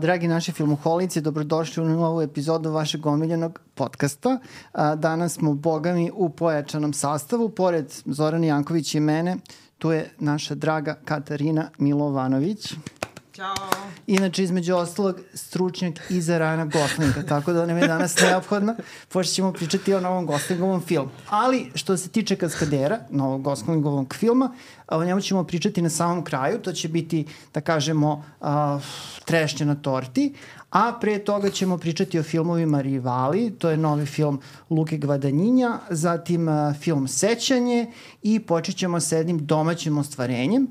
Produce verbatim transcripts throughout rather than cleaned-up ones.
Dragi naši filmoholici, dobrodošli u novu epizodu vašeg omiljenog podcasta. Danas smo, bogami, u pojačanom sastavu. Pored Zorana Janković i mene, tu je naša draga Katarina Milovanović. Ćao. Inače, između ostalog, stručnjak i za Rajana Goslinga, tako da nam je danas neophodna, pošto ćemo pričati o novom Goslingovom filmu. Ali, što se tiče Kaskadera, novog Goslingovog filma, o njemu ćemo pričati na samom kraju, to će biti, da kažemo, uh, trešnje na torti, a pre toga ćemo pričati o filmovima Rivali, to je novi film Luke Gvadagnina, zatim uh, film Sećanje i počet ćemo sa jednim domaćim ostvarenjem.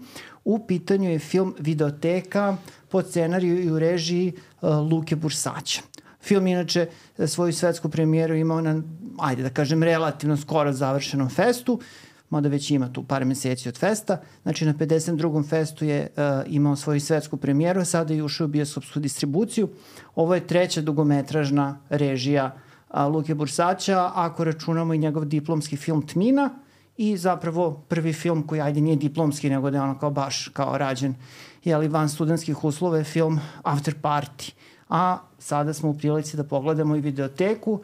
U pitanju je film Videoteka po scenariju i u režiji uh, Luke Bursaća. Film inače svoju svetsku premijeru imao na, ajde da kažem, relativno skoro završenom festu, mada već ima tu par meseci od festa. Znači na pedeset drugom festu je uh, imao svoju svetsku premijeru, a sada je ušao u bioskopsku distribuciju. Ovo je treća dugometražna režija uh, Luke Bursaća, ako računamo i njegov diplomski film Tmina, i zapravo prvi film koji, ajde, nije diplomski, nego da je ono kao baš kao rađen, jeli, van studentskih uslova, je film After Party. A sada smo u prilici da pogledamo i Videoteku,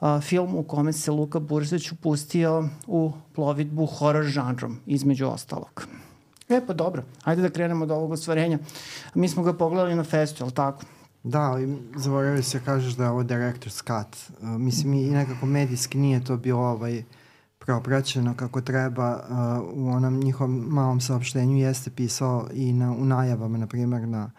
a, film u kome se Luka Bursać upustio u plovidbu horror žanrom, između ostalog. E pa dobro, ajde da krenemo od ovog ostvarenja. Mi smo ga pogledali na festu, je li tako? Da, ali zaboravio se kažeš da je ovo director's cut. Uh, mislim, i nekako medijski nije to bilo ovaj propraćeno kako treba. Uh, u onom njihovom malom saopštenju jeste pisao i na, u najavama, na primjer, na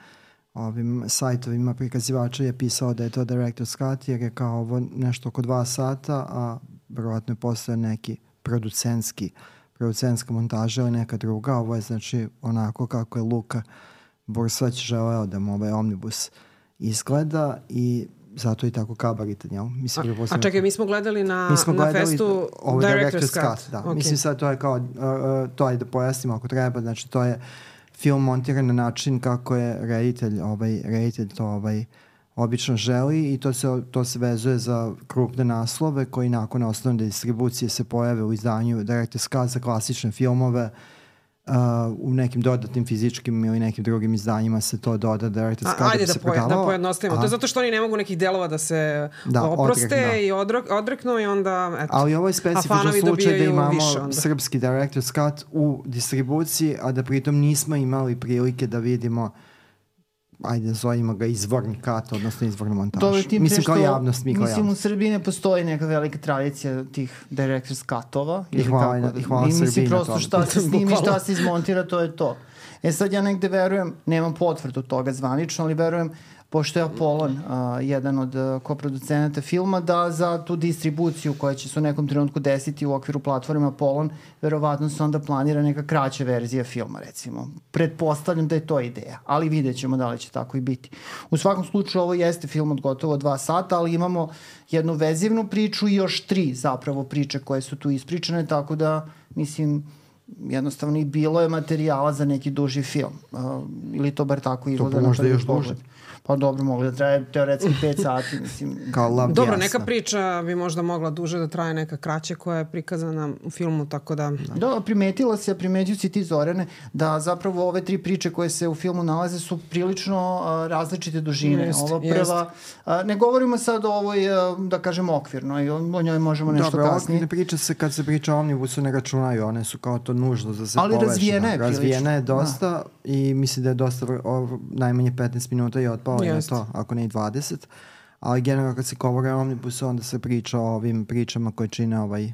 ovim sajtovima prikazivača je pisao da je to director's cut, jer je kao ovo nešto oko dva sata, a verovatno je postoje neki producentski, producentska montaža ili neka druga. Ovo je znači onako kako je Luka Bursać želeo da mu ovaj omnibus izgleda i zato i tako kabaritan, jel? Mislim, a, a čekaj, mi smo gledali na, mi smo na gledali festu Director's Cut. Cut, da. Okay. Mislim sad to je kao, uh, uh, to je da pojasnimo ako treba, znači to je film montiran na način kako je reditelj, ovaj, reditelj to ovaj, obično želi i to se, to se vezuje za krupne naslove koji nakon osnovne distribucije se pojave u izdanju Director's Cut za klasične filmove. Uh, u nekim dodatnim fizičkim ili nekim drugim izdanjima se to doda Director's Cut da bi se da prodavalo. Ajde da pojednostavimo. To je zato što oni ne mogu nekih delova da se da, oproste odrek, da. i odrek, odreknu i onda eto. Ali ovo je specifičan slučaj da imamo srpski Director's Cut u distribuciji, a da pritom nismo imali prilike da vidimo, ajde zovimo ga izvorni cut, odnosno izvornu montažu. Mislim kao javnost, mi kao Mislim javnost. u Srbiji ne postoji neka velika tradicija tih Director's Cutova. I hvala, kako, i hvala i Srbiji mislim na prosto šta se snimi, šta se izmontira, to je to. E sad ja negde verujem, nemam potvrdu toga zvanično, ali verujem, pošto je Apolon uh, jedan od uh, koproducenata filma, da za tu distribuciju koja će se u nekom trenutku desiti u okviru platforme Apolon, verovatno se onda planira neka kraća verzija filma, recimo. Pretpostavljam da je to ideja, ali vidjet ćemo da li će tako i biti. U svakom slučaju ovo jeste film od gotovo dva sata, ali imamo jednu vezivnu priču i još tri zapravo priče koje su tu ispričane, tako da, mislim, jednostavno i bilo je materijala za neki duži film. Uh, ili to bar tako izgleda. To možda još duže. Pa dobro, mogli da traje teoretski pet sati, mislim. Dobro, jasna. Neka priča bi možda mogla duže da traje, neka kraće koja je prikazana u filmu, tako da... Da, primetila se, primetio si ti, Zorane, da zapravo ove tri priče koje se u filmu nalaze su prilično uh, različite dužine. Jest, Ova prva, uh, ne govorimo sad o ovoj, uh, da kažem, okvirno, i o njoj možemo nešto Dobro, kasnije. Dobro, priče se, kad se priča o omnibusu ne računaju, one su kao to nužno da se ali poveže. razvijena je prilično. Razvijena je dosta da. I mislim da je dosta, o, najmanje petnaest minuta je otpalo na to, ako ne i dvadeset. Ali generalno kad se govore o omnibusu, onda se priča o ovim pričama koje čine ovaj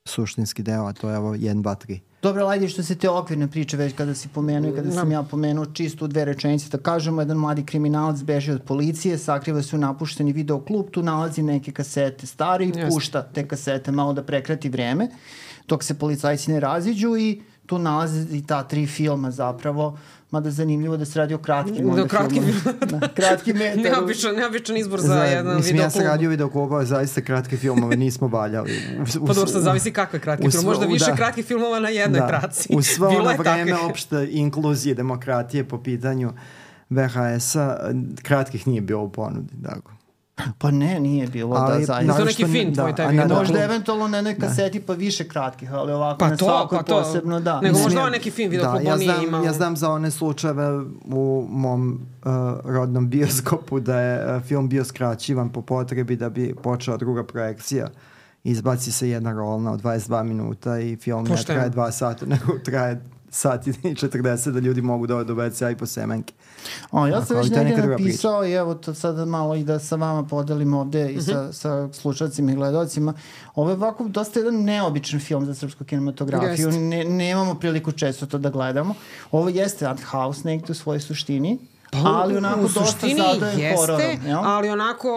suštinski deo, a to je ovo jedan, dva, tri. Dobro, ajde što se te okvirne priče već kada si pomenuo i kada sam ja pomenuo čisto u dve rečenice, da kažemo, jedan mladi kriminalac beži od policije, sakriva se u napušteni videoklub, tu nalazi neke kasete stari, yes. pušta te kasete malo da prekrati vreme, dok se policajci ne raziđu i tu nalaze i ta tri filma zapravo, mada zanimljivo da se radi o kratkim da, kratki filmom. Da, kratki metar. Neobičan, neobičan izbor za, za jedan videoklub. Mislim, ja se radio videoklubova, zaista kratke filmove nismo valjali. Pa dobro, sad zavisi kakve kratke filmove. Možda više da, kratkih filmova na jednoj da, traci. U svo ono vreme opšte inkluzije demokratije po pitanju V H S-a, kratkih nije bilo u ponudi, tako. Pa ne, nije bilo ali, da zaista. To neki film tvoj tebi. Da, možda eventualno na nekoj kaseti pa više kratkih, ali ovako pa na to, svakoj pa to. posebno, da. Nego možda ovaj neki film vidio da, ja znam, imao... ja znam za one slučajeve u mom uh, rodnom bioskopu da je uh, film bio skraćivan po potrebi da bi počela druga projekcija. Izbaci se jedna rolna od dvadeset dva minuta i film ne traje dva sata, nego traje sat i četrdeset da ljudi mogu doći do ve ce a i po semenke. O, ja sam već negdje napisao i evo to sada malo i da sa vama podelim ovde i sa, sa slušalcima i gledalcima. Ovo je ovako dosta jedan neobičan film za srpsku kinematografiju. Ne, nemamo priliku često to da gledamo. Ovo jeste art house negdje u svojoj suštini. Pa, ali onako u suštini dosta zadojen hororom. Jeste, ali onako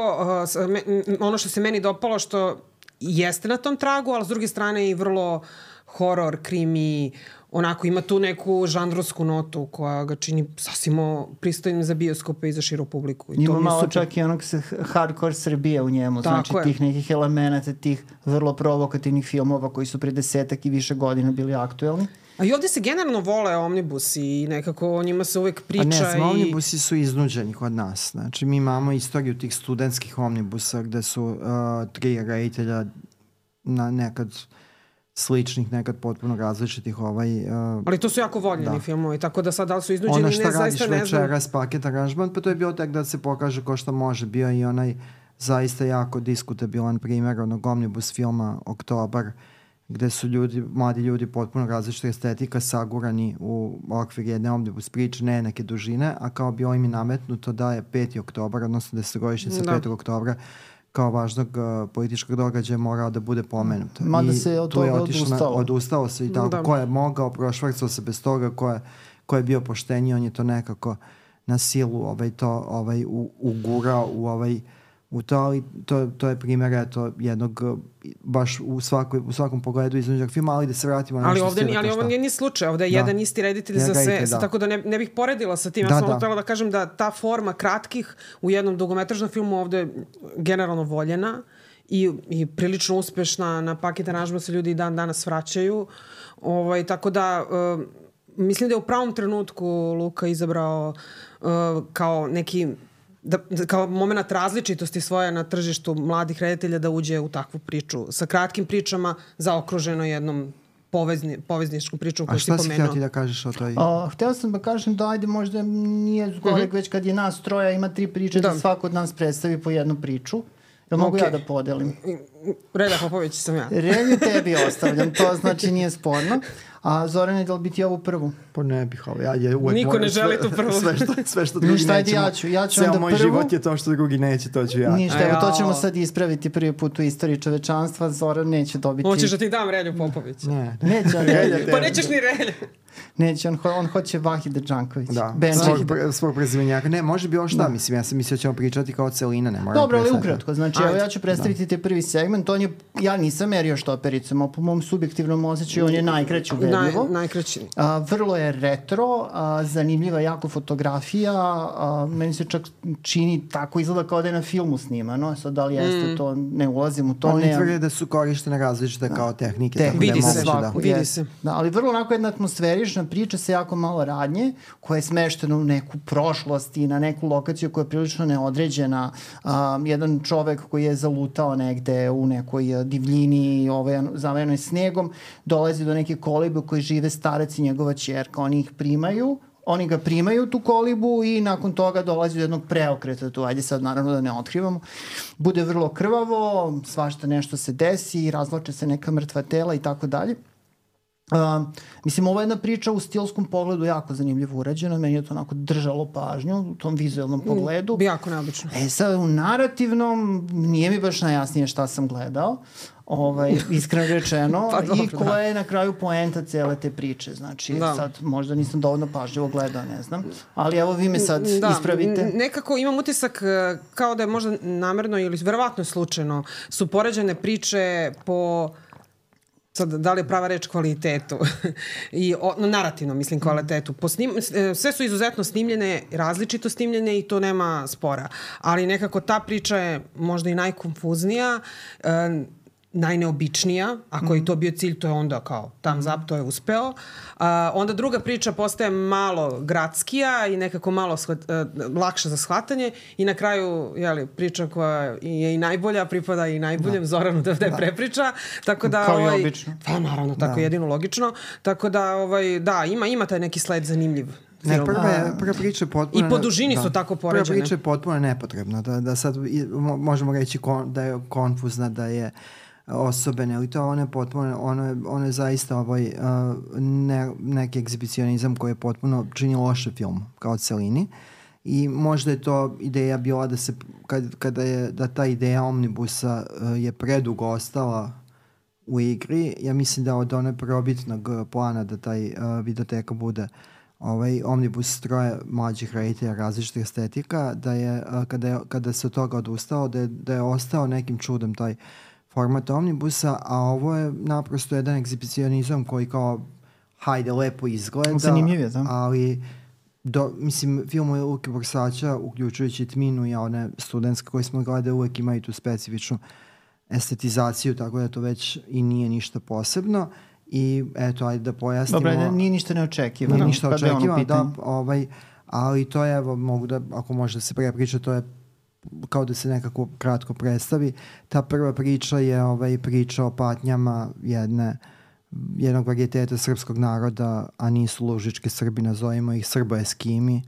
uh, me, ono što se meni dopalo što jeste na tom tragu, ali s druge strane i vrlo horor, krimi, onako ima tu neku žanrovsku notu koja ga čini sasvim pristojnim za bioskope i za širu publiku. I ima to malo super. Čak i onog hardcore Srbije u njemu, Tako znači je. tih nekih elemenata, tih vrlo provokativnih filmova koji su pre desetak i više godina bili aktuelni. A i ovdje se generalno vole omnibusi i nekako o njima se uvek priča. A ne, i... omnibusi su iznuđeni kod nas. Znači, mi imamo istoriju tih studentskih omnibusa gde su uh, tri reditelja na nekad sličnih, nekad potpuno različitih ovaj... Uh, Ali to su jako voljeni da. filmovi, tako da sad da li su iznuđeni, ono šta ne, zaista ne znam. Ono šta radiš večeras, paket aranžman, pa to je bio tek da se pokaže ko što može. Bio i onaj zaista jako diskutabilan primjer onog omnibus filma Oktobar, gde su ljudi, mladi ljudi potpuno različita estetika sagurani u okvir jedne omnibus priče, ne neke dužine, a kao bi ovim je nametnuto da je peti oktobar, odnosno desetogodišnjica petog oktobra, kao važnog uh, političkog događaja morao da bude pomenuto. Mada se od toga odustalo. Odustalo se i tako. Da. Ko je mogao, prošvrcao se bez toga, ko je, ko je bio pošteniji, on je to nekako na silu ovaj, to, ovaj, u, ugurao u ovaj u to, ali to, to je primjer eto, jednog baš u, svakoj, u svakom pogledu iznuđenog filma, ali da se vratimo na ali nešto ovdje, stila. Ali ovo nije ni slučaj, ovdje je da. jedan isti reditelj ja za sve, reditelj, da. tako da ne, ne bih poredila sa tim. Ja da, sam da. htjela da kažem da ta forma kratkih u jednom dugometražnom filmu ovdje je generalno voljena i, i prilično uspešna. Na paket aranžman se ljudi i dan danas vraćaju. Ovaj, tako da... Uh, mislim da je u pravom trenutku Luka izabrao uh, kao neki... Da, kao moment različitosti svoje na tržištu mladih reditelja da uđe u takvu priču sa kratkim pričama zaokruženo jednom povezni, povezničkom pričom koju si pomenuo. A šta si htio ti da kažeš o toj? A, htio sam da kažem da ajde možda nije zgorek mm-hmm. već kad je nas troja ima tri priče da, da svako od nas predstavi po jednu priču. Jel mogu okay. ja da podelim? Relja Popović sam ja. Relju tebi ostavljam, to znači nije sporno. A Zorane, da li bi ti ovu prvu? Pa ne bih, ali ja je uvek Niko ne želi tu prvu. Sve što, sve što drugi Ništa, nećemo. Ja ću, ja ću Ceo onda moj prvu. život je to što drugi neće, to ću ja. Ništa, evo to ćemo sad ispraviti prvi put u istoriji čovečanstva. Zoran neće dobiti... Hoćeš da ti dam Relju Popović? Ne. Neće on Relju. Pa nećeš ni Relju. Neće, on, on hoće Vahida Đanković. Da, svog, pre, svog prezimenjaka. Ne, može bilo šta, da. mislim, ja sam mislio da ćemo pričati kao celina, ne moram. Dobro, ali ukratko, znači, evo ja ću predstaviti te prvi segment, on je, ja nisam merio štopericom, a po mom subjektivnom osjećaju on je najkraći ubedljivo. Naj, najkraći. A, vrlo je retro, a, zanimljiva jako fotografija, a, meni se čak čini tako izgleda kao da je na filmu snimano, sad da li jeste mm. to, ne ulazim u to. Oni tvrde da su korištene različite da. kao tehnike. Te, tako vidi da se, da. vidi se. Da, ali vrlo onako jedna atmosferična priča sa jako malo radnje, koja je smeštena u neku prošlost i na neku lokaciju koja je prilično neodređena. Um, jedan čovek koji je zalutao negde u nekoj divljini ovaj, zavejenoj snegom, dolazi do neke kolibe u kojoj žive starac i njegova ćerka. Oni ih primaju, oni ga primaju tu kolibu i nakon toga dolazi do jednog preokreta tu. Ajde sad naravno da ne otkrivamo. Bude vrlo krvavo, svašta nešto se desi, razvlače se neka mrtva tela i tako dalje. Uh, mislim, ovo je jedna priča u stilskom pogledu jako zanimljivo urađena, meni je to onako držalo pažnju u tom vizualnom pogledu. Mm, jako neobično. E sad, u narativnom nije mi baš najjasnije šta sam gledao, ovaj, iskreno rečeno, pa dobro, i koja da. je na kraju poenta cele te priče. Znači, da. sad možda nisam dovoljno pažljivo gledao, ne znam, ali evo vi me sad da. ispravite. Nekako imam utisak kao da je možda namerno ili verovatno slučajno su poređene priče po... sad, da li je prava reč kvalitetu i o, no, narativno mislim kvalitetu. Po snim, sve su izuzetno snimljene, različito snimljene i to nema spora. Ali nekako ta priča je možda i najkonfuznija. E, najneobičnija, ako je to bio cilj, to je onda kao thumbs up, to je uspeo. Uh, onda druga priča postaje malo gradskija i nekako malo shvat, uh, lakša za shvatanje i na kraju jeli, priča koja je i najbolja, pripada i najboljem, da. Zoranu da, da je prepriča. Tako da, kao ovaj, i obično. Pa naravno, tako da. Jedino logično. Tako da, ovaj, da, ima, ima taj neki sled zanimljiv. Ne, prva, je, prva priča je potpuno... I po dužini da, su tako poređene. Prva priča je potpuno nepotrebna. Da, da sad možemo reći kon, da je konfuzna, da je osobene, ali to ono je potpuno, ono je, ono je zaista ovaj, uh, ne, neki egzibicionizam koji je potpuno čini loše film kao celini. I možda je to ideja bila da se, kad, kada je, da ta ideja omnibusa uh, je predugo ostala u igri, ja mislim da od one prvobitnog plana da taj uh, videoteka bude ovaj omnibus troje mlađih reditelja različitih estetika, da je, uh, kada, je, kada se od toga odustao, da je, da je ostao nekim čudom taj format omnibusa, a ovo je naprosto jedan egzibicionizam koji kao hajde, lepo izgleda. Zanimljiv je, da. Ali do, mislim, filmovi Luke Bursaća, uključujući Tminu i one studentske koje smo gledali, uvek imaju tu specifičnu estetizaciju, tako da to već i nije ništa posebno. I eto, ajde da pojasnimo. Dobro, nije ništa neočekivano. Nije ništa očekivano, da, ovaj, ali to je, evo, mogu da, ako može da se prepriča, to je kao da se nekako kratko predstavi. Ta prva priča je ovaj, priča o patnjama jedne, jednog varijeteta srpskog naroda, a nisu lužički Srbi, nazovimo ih Srbo-eskimi,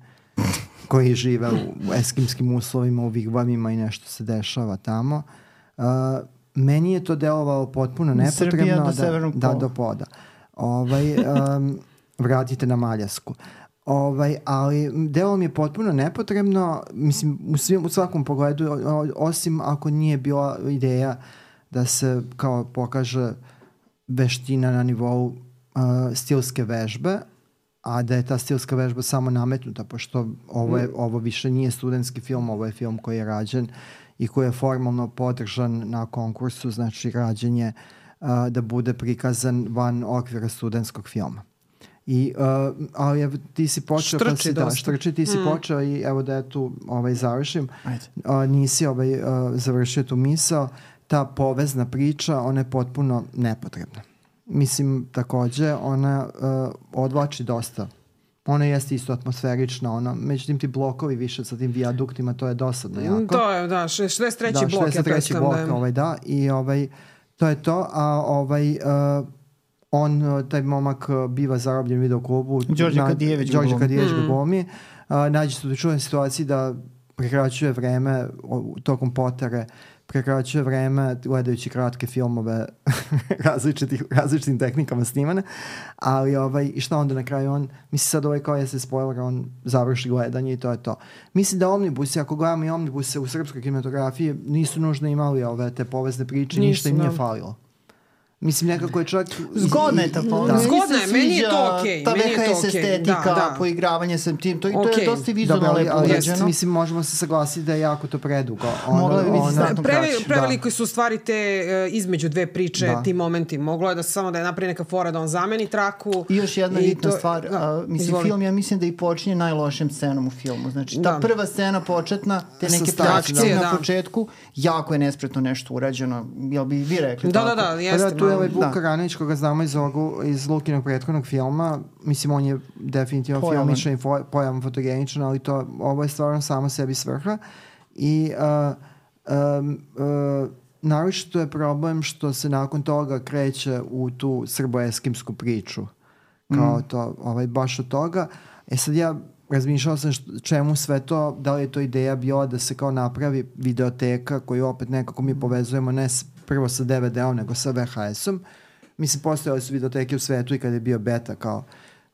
koji žive u eskimskim uslovima, u vigvamima i nešto se dešava tamo. Uh, meni je to delovalo potpuno nepotrebno. Srbija do da, severnog da, pola. do poda. Ovaj, um, vratite na Maljasku. Ovaj, ali delo mi je potpuno nepotrebno, mislim, u, svim, u svakom pogledu, osim ako nije bila ideja da se kao pokaže veština na nivou uh, stilske vežbe, a da je ta stilska vežba samo nametnuta, pošto ovo, je, ovo više nije studentski film, ovo je film koji je rađen i koji je formalno podržan na konkursu, znači rađenje uh, da bude prikazan van okvira studentskog filma. I, uh, ali evo, ti si počeo štrči si, da, štrči, ti si mm. počeo i evo da ja tu ovaj, završim. Uh, nisi ovaj, uh, završio tu misao. Ta povezna priča, ona je potpuno nepotrebna. Mislim, takođe, ona uh, odvlači dosta. Ona jeste isto atmosferična, ona, međutim ti blokovi više sa tim vijaduktima, to je dosadno jako. To je, da, šezdeset treći da, blok. šezdeset treći blok, da, ovaj, da, i ovaj, to je to, a ovaj... Uh, on, taj momak biva zarobljen u videoklubu. Đorđe Kadijević ga Đorđe Kadijević ga glumi. Uh, nađe se u čudnoj situaciji da prekraćuje vreme tokom potere, prekraćuje vreme gledajući kratke filmove različitih, različitim tehnikama snimane, ali ovaj, i šta onda na kraju on, misli sad ovaj kao je se spoiler, on završi gledanje i to je to. Mislim da omnibusi, ako gledamo i omnibuse u srpskoj kinematografiji, nisu nužno imali ove te povezne priče, nisu, ništa im nije falilo. Mislim, nekako je čak... Zgodna je ta povezna. Da. Zgodna je, meni je to okej. Okay. Ta V H S estetika, da, da. Poigravanje sa tim, to, okay. to je dosta vizualno Dobre, lepo ali, urađeno. Mislim, možemo se saglasiti da je jako to predugo. Ono, Mogla bi biti znatno Preve, kraće. Preveliko su stvari te uh, između dve priče, da. Ti momenti. Moglo je da se samo da je napravi neka fora da on zameni traku. I još jedna i bitna to, stvar. Da, uh, mislim, izvoli. Film, ja mislim da i počinje najlošim scenom u filmu. Znači, ta da. prva scena početna, te neke reakcije na da. početku, jako je nespretno nešto urađeno. Jel bi vi rekli da, tako? Da, da, jeste. Pa da, tu je ovaj Vuk Karanović koga znamo iz, ovogu, iz Lukinog prethodnog filma. Mislim, on je definitivno Pojavan. filmičan i fo, pojavan fotogeničan, ali to, ovo je stvarno samo sebi svrha. I uh, um, uh, naročito je problem što se nakon toga kreće u tu srbo-eskimsku priču. Kao mm. to, ovaj, baš od toga. E sad ja razmišljao sam što, čemu sve to, da li je to ideja bila da se kao napravi videoteka koju opet nekako mi povezujemo ne s, prvo sa D V D-om nego sa V H S-om. Mislim, postojali su videoteke u svetu i kada je bio beta kao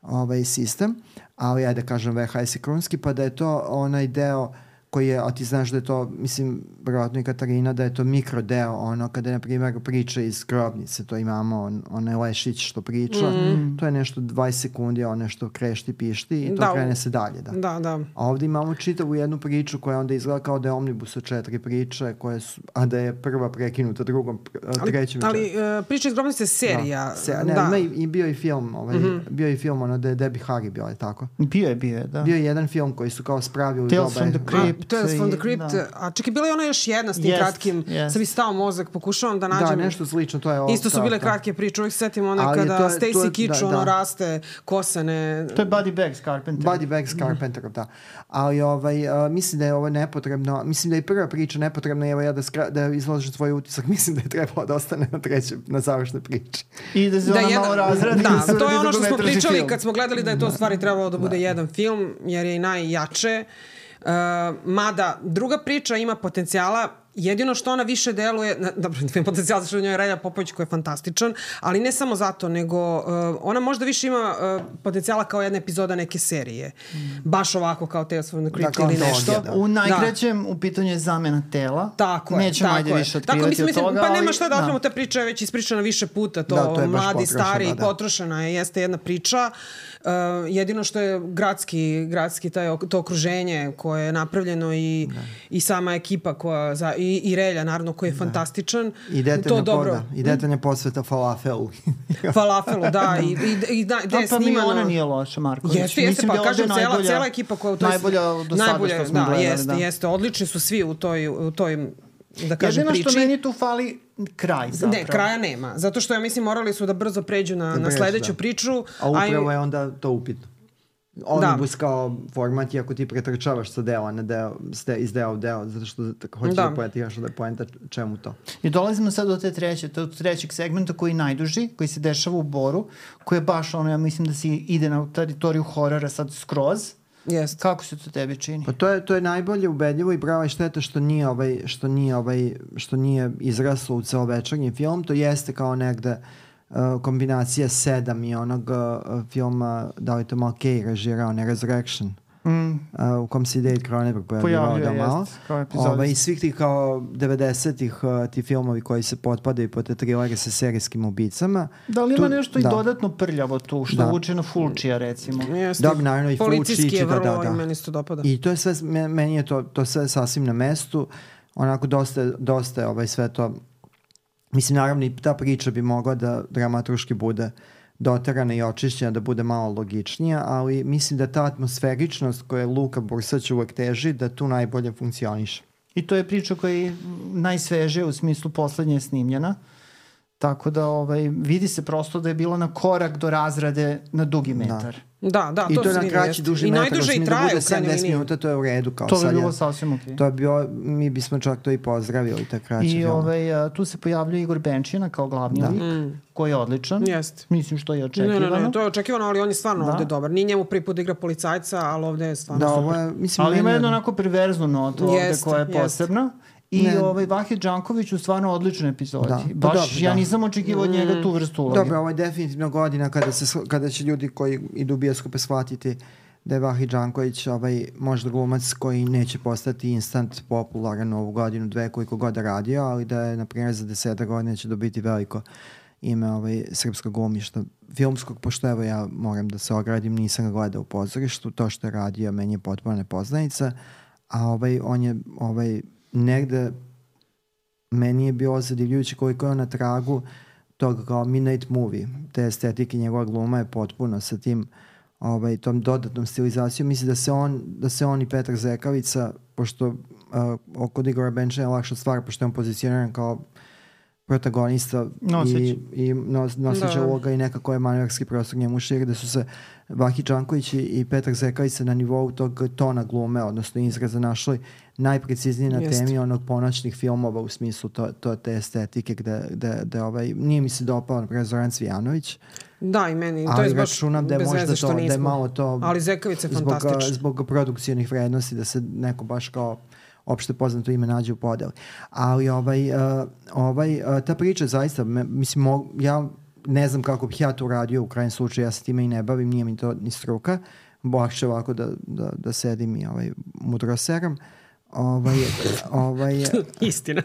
ovaj sistem, ali ja da kažem V H S i krunski, pa da je to onaj deo koji je, a ti znaš da je to, mislim, vjerojatno i Katarina, da je to mikrodeo, ono, kada je, na primjer, priča iz Grobnice, to imamo, on, onaj Lešić što priča, mm. to je nešto dvadeset sekundi, on nešto krešti, pišti i to da, krene se dalje, da. Da, da. A ovdje imamo čitavu jednu priču koja onda izgleda kao da je omnibus od četiri priče, koje su, a da je prva prekinuta drugom, trećem. Ali, ali uh, priča iz Grobnice je serija. Da, se, ne, da. Ima i, i bio i film, ovaj, mm-hmm. bio i film, ono, da je Debbie Harry bio, je tako? Bio je, bio je, da. Bio je jedan film koji su kao spravili Tales from the Crypt. Tales from the Crypt. Da. A čekaj, bila je ona još jedna s tim Jest, kratkim. jest. Sad mi stao mozak, pokušavam da nađem. Da, nešto slično, to je ovo. Isto su bile kratke priče, uvijek setim one Ali kada to je- to Stacy je- Kitsch, da, ono da. raste, kosane. To je Buddy Bags Carpenter. Buddy Bags Carpenter, da. Ali ovaj, a, mislim da je ovo nepotrebno, mislim da je prva priča nepotrebna, evo ja da, skra, da izložim svoj utisak, mislim da je trebalo da ostane na trećem, na završnoj priči. I da se Da, ona jedan- malo razradi. da, se to je uradi ono što smo dugometražni pričali film. kad smo gledali da je to u stvari trebalo da bude jedan film, jer je i najjače. Uh, mada druga priča ima potencijala, jedino što ona više deluje, na- dobro, ima potencijal zato što u njoj je Relja Popović koji je fantastičan, ali ne samo zato, nego uh, ona možda više ima uh, potencijala kao jedna epizoda neke serije. Baš ovako kao Tales from the Crypt Da, kao ili antologija, nešto. da. U najkraćem, u pitanju je zamena tela. Tako je, Nećemo tako ajde je. više Tako, otkrivati mislim, od mislim, toga. pa nema ali- šta da otkrivamo, ta priča je već ispričana više puta, to, Da, to je baš mladi, potrošena, stari, da. potrošena je, jeste jedna priča. Uh, jedino što je gradski, gradski taj, ok- to okruženje koje je napravljeno i, i sama ekipa koja, za, i, i Relja, naravno, koji je fantastičan. I to detaljna, dobro. poda, i detaljna posveta falafelu. Falafelu, da, i, i, i da, gde Da, je pa mi snimano. ona nije loša, Marković. Jeste, jeste, Mislim pa da je ovde kažem, cela, najbolja- cela ekipa koja u toj... najbolja do sada najbolje, što smo da, gledali. jeste, da. jeste, odlični su svi u toj, u toj da kažem, Jedino priči. što meni tu fali kraj zapravo. Ne, kraja nema. Zato što ja mislim morali su da brzo pređu na, na brzo, sledeću da. priču. A upravo i- je onda to upitno. Omnibus kao format je ako ti pretrčavaš sa dela na deo, ste, iz deo u deo, zato što tako hoćeš da, Da. pojetiraš da je poenta čemu to. I dolazimo sad do te treće, do trećeg segmenta koji je najduži, koji se dešava u Boru, koji je baš ono, ja mislim da se ide na teritoriju horora sad skroz. Jest. Kako se to tebi čini? Pa to je to je najbolje ubedljivo i brava je šteta što nije ovaj što nije ovaj što nije izraslo u celovečernji film, to jeste kao negde uh, kombinacija sedam i onog uh, filma da li to Malkej režirao, ne Resurrection. Mm, Uh, u kom se i David Cronenberg pojavljivao pojavljuje, da malo. jest, kao epizodist. Ovaj, i svih tih kao devedesetih uh, ti filmovi koji se potpadaju po te trilere sa serijskim ubicama. Da li ima Tu- nešto i da. dodatno prljavo tu, što Da. vuče na Fulčija, recimo? Jeste. Da, naravno i Policijski Fulci, je da, vrlo, da, da. i meni se to dopada. I to je sve, me- meni je to, to sve sasvim na mestu. Onako dosta, je- dosta je ovaj sve to. Mislim, naravno i ta priča bi mogla da dramaturški bude doterana i očišćena, da bude malo logičnija, ali mislim da ta atmosferičnost koja Luka Bursać uvek teži, da tu najbolje funkcioniše. I to je priča koja je najsvežija u smislu poslednje je snimljena. Tako da ovaj, vidi se prosto da je bilo na korak do razrade na dugi metar. Da, da, I to, to je se na vidi, kraći jeste. duži I metar. najduže i da traje bude u krajnjoj sedamdeset liniji. minuta, to je u redu. Kao To bi sad bilo je- sasvim okej. To je bio, mi bismo čak to i pozdravili, ta kraća I film. ovaj, a, tu se pojavljuje Igor Benčina kao glavni lik, koji je odličan. Jeste. Mislim što je Ne, očekivano. ne, ne, to je očekivano, ali on je stvarno Da. ovde dobar. Nije njemu prvi put da igra policajca, ali ovde je stvarno Da, super. ovo je, mislim, Ali ima meni je- jednu onako perverznu notu ovde Jeste, koja je jeste. posebna. I Ne. ovaj Vahid Đanković u stvarno odličnoj epizodi. Da, pa Baš dobro, ja da. nisam očekivao od njega tu vrstu uloge. Dobro, ovo je definitivno godina kada, se, shva- kada će ljudi koji idu u bioskope shvatiti da je Vahid Đanković ovaj, možda glumac koji neće postati instant popularan ovu godinu, dve, koliko god da radio, ali da je, na primjer, za deseta godina će dobiti veliko ime ovaj, srpskog glumišta filmskog, pošto evo ja moram da se ogradim, nisam ga gledao u pozorištu, to što je radio meni je potpuno nepoznanica, a ovaj, on je ovaj, negde meni je bilo zadivljujuće koliko je on na tragu tog kao midnight movie, te estetike njegova gluma je potpuno sa tim ovaj, tom dodatnom stilizacijom. Mislim da se on, da se on i Petar Zekavica, pošto uh, kod Igora Benčina je lakša stvar, pošto je on pozicioniran kao protagonista Noseć. i, i nos, noseća Da. uloga i nekako je manevarski prostor njemu širi, da su se Vahid Đanković i, i Petar Zekavica na nivou tog tona glume, odnosno izraza našli najpreciznije na Jeste. temi onog ponoćnih filmova u smislu to, to te estetike gde, gde, gde ovaj, nije mi se dopao na primjer Zoran Cvijanović, Da, i meni. To ali je baš računam da je bez možda veze što to, da je nismo. malo to Ali Zekavica je zbog, fantastična. zbog produkcijnih vrednosti da se neko baš kao opšte poznato ime nađe u podeli. Ali ovaj, uh, ovaj, uh, ta priča zaista, me, mislim, mo, ja ne znam kako bih ja to uradio u krajnjem slučaju, ja se time i ne bavim, nije mi to ni struka, lakše ovako da, da, da sedim i ovaj, mudro seram. Ovaj, ovaj, Istina.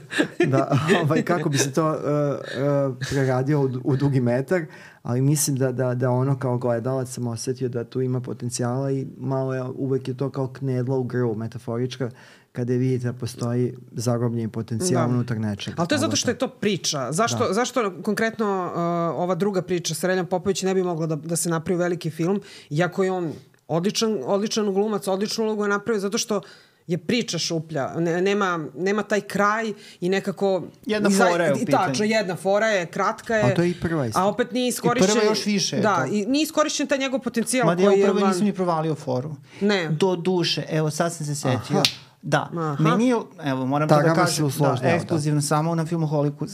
da, ovaj, kako bi se to uh, uh, preradio u, u dugi metar, ali mislim da, da, da ono kao gledalac sam osetio da tu ima potencijala i malo je, uvek je to kao knedla u grlu, metaforička, kada vidite da postoji zarobljeni potencijal Da. unutar nečega. Ali to je zato što je to priča. Zašto, zašto konkretno uh, ova druga priča sa Reljom Popović ne bi mogla da, da se napravi veliki film, iako je on odličan, odličan glumac, odličnu ulogu je napravio, zato što je priča šuplja. Ne, nema, nema taj kraj i nekako... Jedna fora je u pitanju. Tačno, jedna fora je, kratka je. A to je i prva isto. A opet nije iskorišćen... I prva još više. Da, i nije iskorišćen taj njegov potencijal Mada koji je... Mada ja upravo van... nisam ni provalio foru. Ne. Do duše, evo sad sam se setio. Aha. Da, Aha. meni je, evo moram da, to da kažem, da, da, ekskluzivno da. Samo na Filmoholiku. Uh,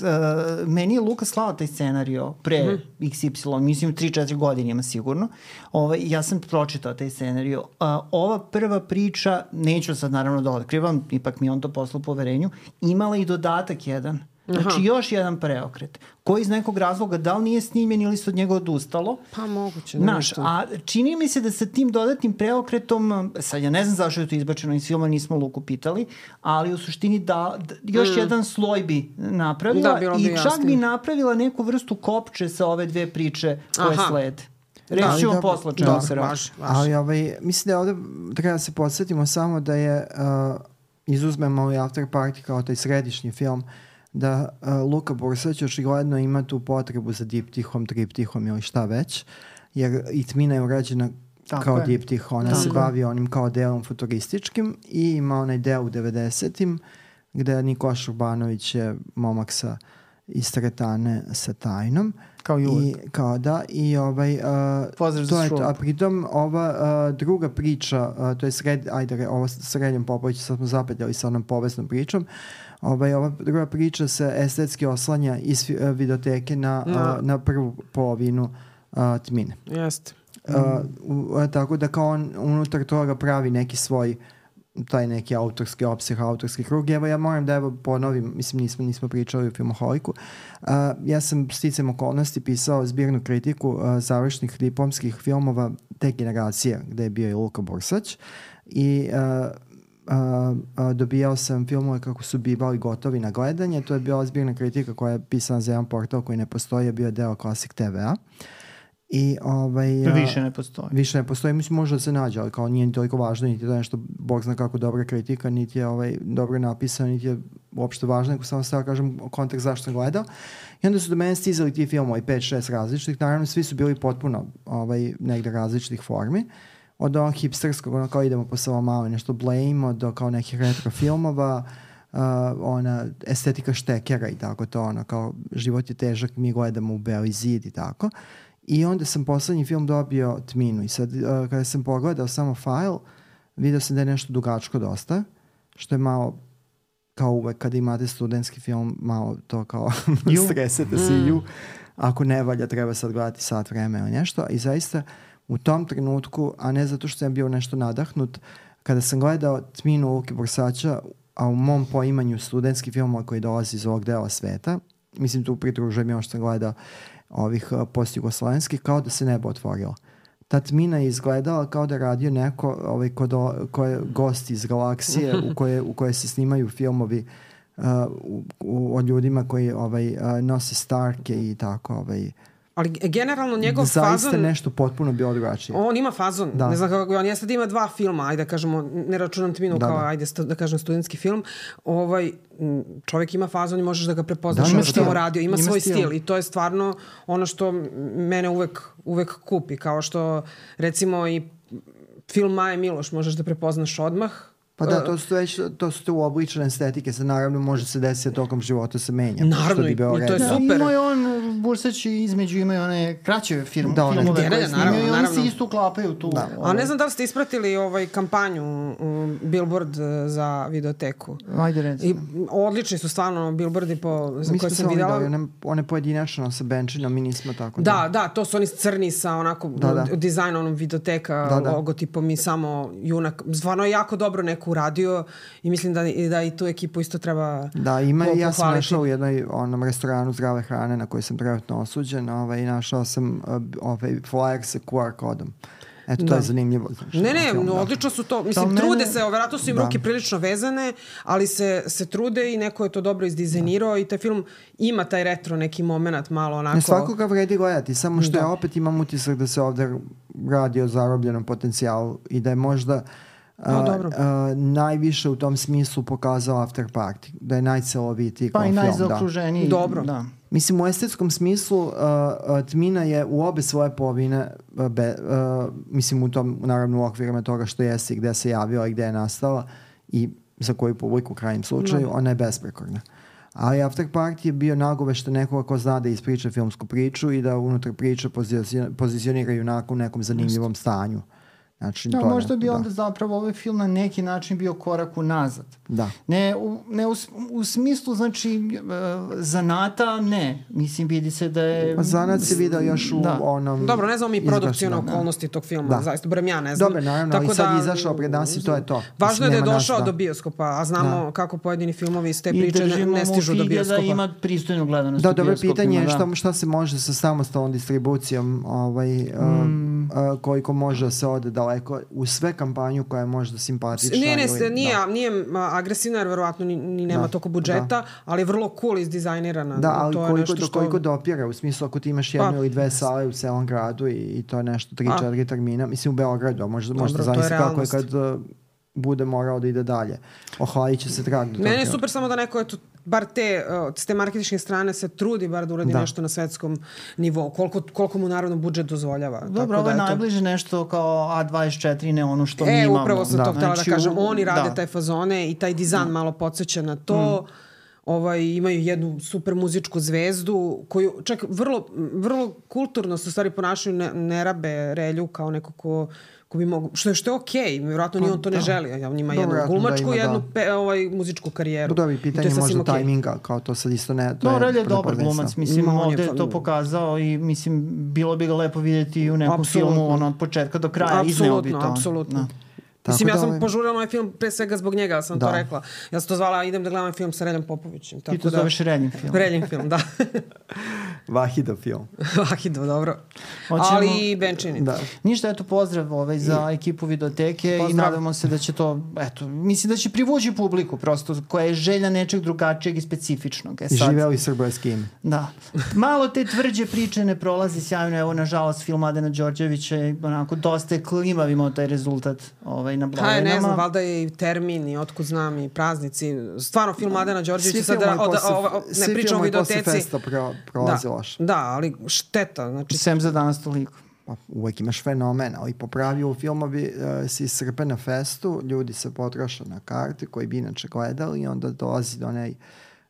meni je Luka slao taj scenario pre mm-hmm. iks ipsilon, mislim tri četiri godine ima sigurno. Ovaj, ja sam pročitao taj scenario. Uh, ova prva priča, neću sad naravno da otkrivam, ipak mi on to poslao poverenju, imala i dodatak jedan. Znači Aha. još jedan preokret, koji iz nekog razloga da li nije snimljen ili se od njega odustalo. Pa moguće. Znaš, a čini mi se da sa tim dodatnim preokretom, sad ja ne znam zašto je to izbačeno iz filma, nismo Luku pitali, ali u suštini da, da još mm. jedan sloj bi napravila da, bi i čak jasnije. bi napravila neku vrstu kopče sa ove dve priče koje Aha. slede. Reći ćemo posla čemu da, se radi. Ali ovaj, mislim da ovde treba da se podsjetimo samo da je, uh, izuzmemo i After Party kao taj središnji film, da uh, Luka Bursać očigledno ima tu potrebu za diptihom, triptihom ili šta već, jer i Tmina je urađena tako kao je. Diptih, ona tako se bavi onim kao delom futurističkim i ima onaj deo u devedesetim gde Nikoš Urbanović je momak sa iz teretane sa tajnom. Kao i uvek. I, kao da, i ovaj, uh, Pozdrav to za je šup. to, a pritom ova uh, druga priča, uh, to je sred, ajde, ovo s Srednjom Popović, sad smo zapetljali sa onom poveznom pričom, ovaj, ova druga priča se estetski oslanja iz uh, videoteke na, no. uh, na prvu polovinu uh, Tmine. Jeste. Uh, uh, tako da kao on unutar toga pravi neki svoj taj neki autorski opseh, autorski krug. Evo ja moram da evo ponovim, mislim nismo, nismo pričali u Filmoholiku. Uh, ja sam sticam okolnosti pisao zbirnu kritiku uh, završnih diplomskih filmova te generacije gde je bio i Luka Bursać i uh, Uh, uh, dobijao sam filmove kako su bivali gotovi na gledanje. To je bila zbirna kritika koja je pisana za jedan portal koji ne postoji, je bio deo Classic te ve a. I ovaj, više ne postoji. Više ne postoji, mislim može da se nađe, ali kao nije toliko važno, niti je to nešto, Bog zna kako dobra kritika, niti je ovaj, dobro napisano, niti je uopšte važno, nego samo sada kažem kontekst zašto sam gledao. I onda su do mene stizali ti filmovi, pet šest različitih, naravno svi su bili potpuno ovaj, negde različitih formi. Od onog hipsterskog, ono kao idemo po samo malo nešto Blame, do kao nekih retro filmova, uh, ona estetika štekera i tako to, ono kao život je težak, mi gledamo u beli zid i tako. I onda sam poslednji film dobio Tminu i sad uh, kada sam pogledao samo file, vidio sam da je nešto dugačko dosta, što je malo kao uvek kada imate studentski film, malo to kao stresete se i ju. Ako ne valja, treba sad gledati sat vreme ili nešto. I zaista u tom trenutku, a ne zato što sam bio nešto nadahnut, kada sam gledao Tminu Luke Bursaća, a u mom poimanju studentski film koji dolazi iz ovog dela sveta, mislim tu pridružujem još što sam gledao ovih uh, post-jugoslovenskih, kao da se nebo otvorilo. Ta Tmina je izgledala kao da radio neko ovaj, kod o, ko je gost iz galaksije u koje, u koje se snimaju filmovi uh, u, u, o ljudima koji ovaj, uh, nose Starke i tako ovaj, ali generalno njegov zaista fazon... Zaista nešto potpuno bio drugačije. On ima fazon. Da. Ne znam kako on je sad ima dva filma, ajde da kažemo, ne računam Tminu da, kao, da. ajde sta, da kažem, studentski film. Ovaj, čovjek ima fazon i možeš da ga prepoznaš ono što mu radio. Ima, ima svoj stil. stil i to je stvarno ono što mene uvek, uvek kupi. Kao što, recimo, i film Maje Miloš možeš da prepoznaš odmah. Pa da, to su već, to su te uobličene estetike, sad naravno može se desiti tokom života se menja. Naravno, i to je super. Da, ima je on, Bursać između imaju one kraće film, da, filmove koje snimaju i oni se isto uklapaju tu. Da. A ne znam da li ste ispratili ovaj kampanju um, Billboard za videoteku. Ajde reći. I odlični su stvarno billboardi po, za koje sam vidjela. Mi smo one, one pojedinačno sa benčinom, mi nismo tako. Da, da, da, to su oni crni sa onako da, da. dizajnom videoteka, da, da. logotipom i samo junak. Stvarno je jako dobro neko uradio i mislim da, da i tu ekipu isto treba da, ima po, ja sam našao u jednom onom restoranu zdrave hrane na koji sam trenutno osuđen ovaj, i našao sam uh, ovaj flyer sa ku ar kodom. Eto, to da. je zanimljivo. Znači, ne, ne, film, no, da. odlično su to. Mislim, da, trude mene... se, vjerojatno su im da. ruke prilično vezane, ali se, se trude i neko je to dobro izdizajnirao da. i taj film ima taj retro neki moment malo onako. Ne, svakoga vredi gledati, samo što da. ja opet imam utisak da se ovde radi o zarobljenom potencijalu i da je možda No, uh, uh, najviše u tom smislu pokazao After Party, da je najcelovitiji pa kao film. Pa i najzaokruženiji. Da. Dobro. Da. Mislim, u estetskom smislu uh, uh, Tmina je u obe svoje polovine, uh, be, uh, mislim u tom, naravno u okvirima toga što jeste i gde se javila i gde je nastala, i za koju publiku u krajnjem slučaju, no. ona je besprekorna. Ali After Party je bio nagovešta nekoga ko zna da ispriča filmsku priču i da unutar priče pozicionira junaka u nekom zanimljivom stanju. Znači, da, to možda ne, bi da. onda zapravo ovaj film na neki način bio korak unazad. Da. Ne, u, ne u, u smislu, znači, uh, zanata, ne. Mislim, vidi se da je... Pa zanat se vidio još u da. onom... Dobro, ne znam mi produkcijone okolnosti tog filma, da. zaista, barem ja ne znam. Dobro, naravno, ali sad je izašao pred nas i to je to. Važno je da je došao nas, da. do bioskopa, a znamo da. kako pojedini filmovi iz te I priče ne, ne stižu do bioskopa. I da ima pristojnu gledanost da, u bioskopima. Da, dobro pitanje je šta, šta se može sa samostalnom distribucijom, ovaj, mm. uh, uh, koliko može da se ode daleko u sve kampanju koja je možda simpatična. Nije, ne, ili, nije, da. nije agresivna jer verovatno ni, ni nema da, toliko budžeta, da. ali je vrlo cool izdizajnirana. Da, ali to je koliko, nešto do, što... koliko dopire, u smislu ako ti imaš jednu pa, ili dve sale u celom gradu i, i to je nešto tri četiri termina, mislim u Beogradu, možda, možda zavisli kako je kad uh, bude morao da ide dalje. Ohladit će se trag do toga. Meni je super samo da neko eto, bar te, uh, s te marketinške strane se trudi bar da uradi da. nešto na svetskom nivou. Koliko, koliko mu naravno budžet dozvoljava. Dobro, tako ovo je da, najbliže to... nešto kao A dvadeset četiri, ne ono što e, mi imamo. E, upravo sam da. to htjela znači, da kažem. u... Oni rade da. taj fazone i taj dizajn da. malo podsjeća na to. Mm. Ovaj, imaju jednu super muzičku zvezdu koju čak vrlo, vrlo kulturno se u stvari ponašaju, ne, ne rabe Relju kao neko ko, ko bi mogu, što je, što je okej, okay. Vjerojatno ni on to da. ne želi. On ima jednu glumačku i da jednu pe, ovaj, muzičku karijeru. Da bi pitanje možda okay. tajminga, kao to sad isto ne... To no, je Relj je dobar glumac, mislim, mm, ovdje je to pokazao i mislim, bilo bi ga lepo vidjeti u nekom Absolutno. filmu, ono, od početka do kraja, izneo bi to. Apsolutno, apsolutno. Tako mislim, ja sam ovaj... požurila ovaj film pre svega zbog njega, ja sam da. to rekla. Ja sam to zvala, idem da gledam film sa Reljom Popovićem. Tako Ti to da... zoveš Reljim film. Reljim film, da. Vahidov film. Vahidov, dobro. Hoćemo... Ali i Benčini. Da. Ništa, eto, pozdrav ovaj, za I... ekipu Videoteke pozdrav. I nadamo se da će to, eto, mislim da će privući publiku prosto, koja je želja nečeg drugačijeg i specifičnog. E, sad... Živeli srbojski ime. Da. Malo te tvrđe priče ne prolazi sjajno, evo, nažalost, film Mladena Đorđevića je onako dosta je klimav imao taj rezultat ovaj, na Blavenama. Ha, ne znam, valjda je i termin i otkud znam i praznici. Stvarno, film Mladena Đorđevića sad, da, od, o, o, ne pričamo o Videoteci. Svi festa pro, prolazi da, loš. Da, ali šteta. Znači... Sem za danas toliko. Uvijek imaš fenomen, ali popravio u filmovi uh, se iscrpe na festu, ljudi se potroše na karte koji bi inače gledali i onda dolazi do onaj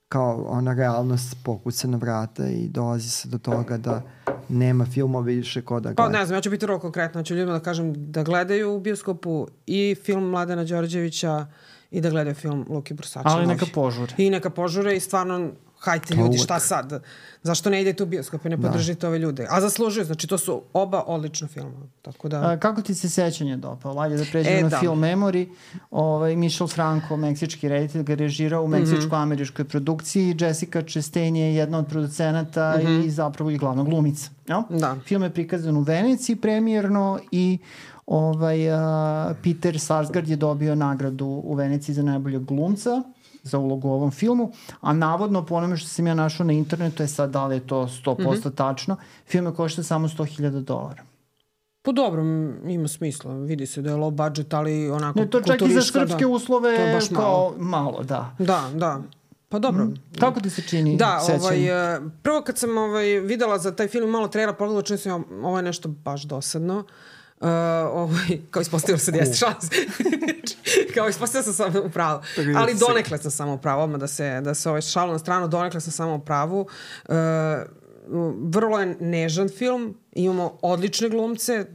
kao ona realnost pokuca na vrata i dolazi se do toga da nema filmova više ko da gleda. Pa ne znam, ja ću biti vrlo konkretna, ću ljudima da kažem da gledaju u bioskopu i film Mladena Đorđevića i da gledaju film Luki Brusača. Ali neka požure. I neka požure i stvarno hajte ljudi, šta sad? Zašto ne idete u bioskop i ne podržite da. ove ljude? A zaslužuju, znači to su oba odlična filma. Tako da... A, kako ti se sećanje dopao? Lajde da pređemo e, na da. film Memory. Ovaj, Michel Franco, meksički reditelj, ga režirao u meksičko-američkoj produkciji. Jessica Chastain je jedna od producenata mm-hmm. i zapravo i glavna glumica. No? Da. Film je prikazan u Veneciji premijerno i ovaj, uh, Peter Sarsgaard je dobio nagradu u Veneciji za najboljeg glumca za ulogu u ovom filmu, a navodno po onome što sam ja našao na internetu je sad da li je to sto posto mm-hmm. tačno, film je košta samo sto hiljada dolara. Po dobro, ima smisla, vidi se da je low budget, ali onako ne, to čak i za srpske da, uslove to je baš kao malo. malo, da. Da, da. Pa dobro. Mm. Kako ti se čini da, sećanje? Ovaj, prvo kad sam ovaj, videla za taj film malo trailer, pogledala čini sam ovo je nešto baš dosadno. Uh, ovaj, kao ispostavilo se da jeste šans. kao ispostavilo sam samo u pravu. Ali donekle sam samo u pravu, odmah da se, da se ovaj šalo na stranu, donekle sam samo u pravu. Uh, vrlo je nežan film, imamo odlične glumce,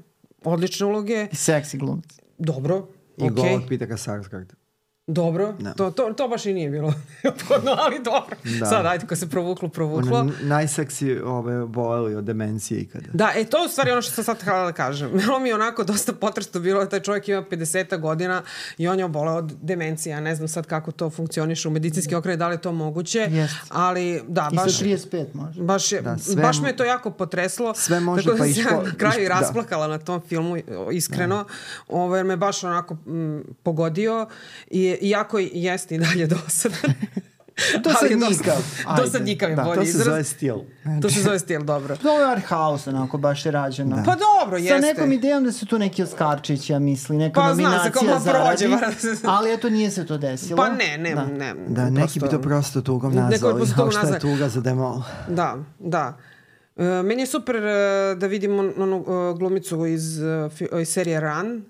odlične uloge. I seksi glumci. Dobro, I okej. okay. Govor Petera Sarsgaarda. Dobro, no. to, to, to baš i nije bilo neophodno, ali dobro. Da. Sad, ajde, ko se provuklo, provuklo. Ono, najseksi ove boleli od demencije ikada. Da, e, to je u stvari ono što sam sad htjela da kažem. Bilo mi je onako dosta potresno bilo, taj čovjek ima pedeset godina i on je oboleo od demencije. Ja ne znam sad kako to funkcioniše u medicinski okret, da li je to moguće, yes. ali da, baš... I sa trideset pet može. Baš, je, da, sve, baš me je to jako potreslo. Sve može, tako pa da iško... sam na kraju iško, rasplakala da. na tom filmu, iskreno. Ovo, jer me baš onako m, pogodio i iako jeste i dalje dosadan. Dosadnjikav. Dosadnjikav je bolji izraz. To se zove stil. To se zove stil, dobro. To je art house, onako, baš je rađeno. Da. Pa dobro, jeste. Sa nekom idejom da se tu neki Oskarčić, ja misli, neka pa, nominacija zaradi. Prođe, ali eto, nije se to desilo. Pa ne, ne, da. ne. Da, neki prosto, bi to prosto tugom nazvali, kao što je tuga za demol. Da, da. Uh, meni je super uh, da vidimo onu uh, glumicu iz, uh, iz serije Run,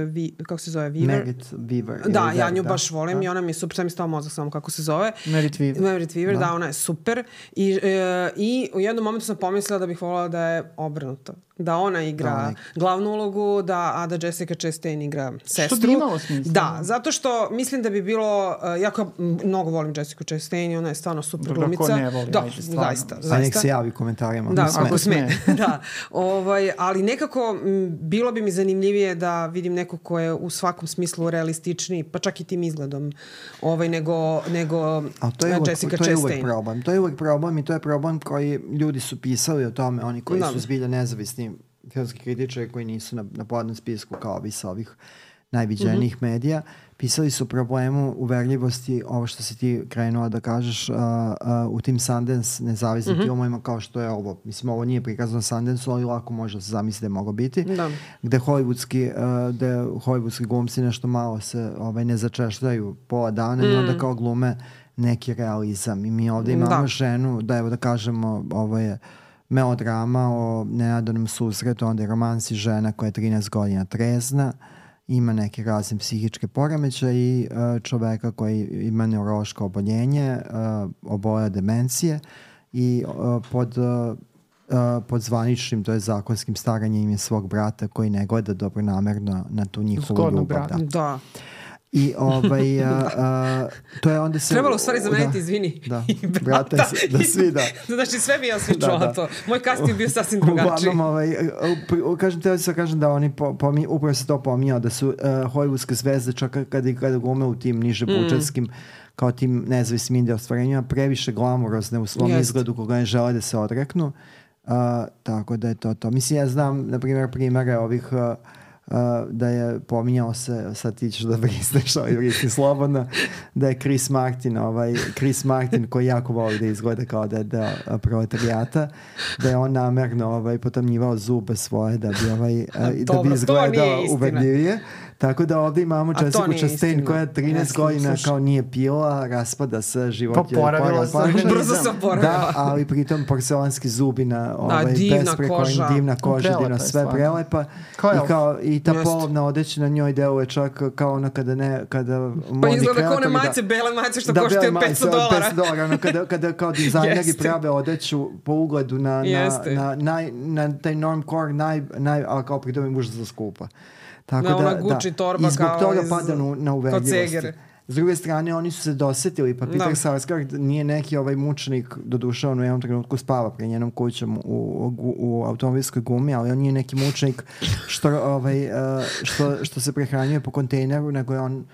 vi, kako se zove, Weaver. Merit Weaver. Da, ili ja nju da, baš volim da. i ona mi je super, sad mi stao mozak samo kako se zove. Merit Weaver. Merit Weaver, da. Da. da, ona je super. I, e, I u jednom momentu sam pomislila da bih voljela da je obrnuto. Da ona igra Da, nek- glavnu ulogu, da, a da Jessica Chastain igra sestru. Što bi imalo smisla. Da, zato što mislim da bi bilo, uh, jako mnogo volim Jessica Chastain i ona je stvarno super Dobro, glumica. ko ne voli, da, ajde, stvarno. zaista, A nek zaista. se javi u komentarima. Da, Mislim, ako sme. sme. da. Ovaj, ali nekako m, bilo bi mi zanimljivije da vidim neko ko je u svakom smislu realističniji, pa čak i tim izgledom, ovaj, nego, nego Ali to je, uvek, Jessica to je uvek Chastain. problem. To je uvek problem i to je problem koji ljudi su pisali o tome, oni koji Da. su zbilja nezavisni filmski kritičari koji nisu na, na podnom spisku kao ovi sa ovih najviđenijih mm-hmm. medija, pisali su problemu uverljivosti, ovo što si ti krenula da kažeš, uh, uh, u tim Sundance nezavisnim mm-hmm. filmovima kao što je ovo. Mislim, ovo nije prikazano Sundance, ali lako može da se zamisli da je moglo biti. Da. Gde hollywoodski, uh, gde hollywoodski glumci nešto malo se ovaj, ne začešljaju pola dana mm. i onda kao glume neki realizam. I mi ovde imamo Da. ženu, da evo da kažemo, ovo je melodrama o nenadanom susretu, onda je romansi žena koja je trinaest godina trezna, ima neke razne psihičke poremećaje i uh, čoveka koji ima neurološko oboljenje, uh, oboja demencije i uh, pod, uh, uh, pod zvaničnim, to je zakonskim staranjem je svog brata koji ne gleda dobronamerno na tu njihovu Zgodnog ljubav. brata. Da. Da. I ovaj, uh, uh, to je onda se... Trebalo u stvari zameniti, da, izvini. Da, I brata, brata. da svi da. Znači sve bi ja svi Da, čula da. to. Moj casting je bio sasvim drugačiji. Uglavnom, ovaj, uh, kažem, teo se kažem da oni po, pomi, upravo se to pominjao, da su uh, hollywoodske zvezde čak kada, kada glume u tim niže budžetskim mm. kao tim nezavisnim indie ostvarenjima previše glamurozne u svom Jest. izgledu koga ne žele da se odreknu. Uh, tako da je to to. Mislim, ja znam, na primjer, primere ovih uh, Uh, da je pominjao se, sad ti ćeš da brisneš, ovaj brisni slobodno, da je Chris Martin, ovaj, Chris Martin koji jako voli da izgleda kao da je deo proletarijata, da je on namerno ovaj, potamnjivao zube svoje da bi, ovaj, uh, da Dobro, bi to izgledao nije istina. uverljivije. Tako da ovdje imamo to Jessica nije Chastain istina. koja trinaest Ne, godina slušaj. kao nije pila, raspada se, život je Poporavila se. porapan. Brzo se oporavila. Da, ali pritom porcelanski zubi na ovaj, divna besprekorni, koža. divna koža, Prelepa divno, je sve stvarno. prelepa. Kao I, elf. kao, i ta Jeste. polovna odeća na njoj deluje čak kao ono kada ne, kada Pa modni izgleda kao one kreatori majice, bele majice što da, koštaju bele majice petsto od dolara. petsto dolara, ono, kada, kada kao dizajneri Jeste. prave odeću po ugledu na, na, Jeste. na, naj, na taj normcore, naj, naj, ali kao pritom je užasno skupa. Tako Da, da, ona Gucci da. torba I zbog kao toga iz- pada na, na kao uverljivosti. Ceger. S druge strane, oni su se dosetili, pa Peter Da. Sarsgaard nije neki ovaj mučenik, doduše on u jednom trenutku spava pre njenom kućom u, u, u automobilskoj gumi, ali on nije neki mučenik što, ovaj, uh, što, što se prehranjuje po kontejneru, nego je on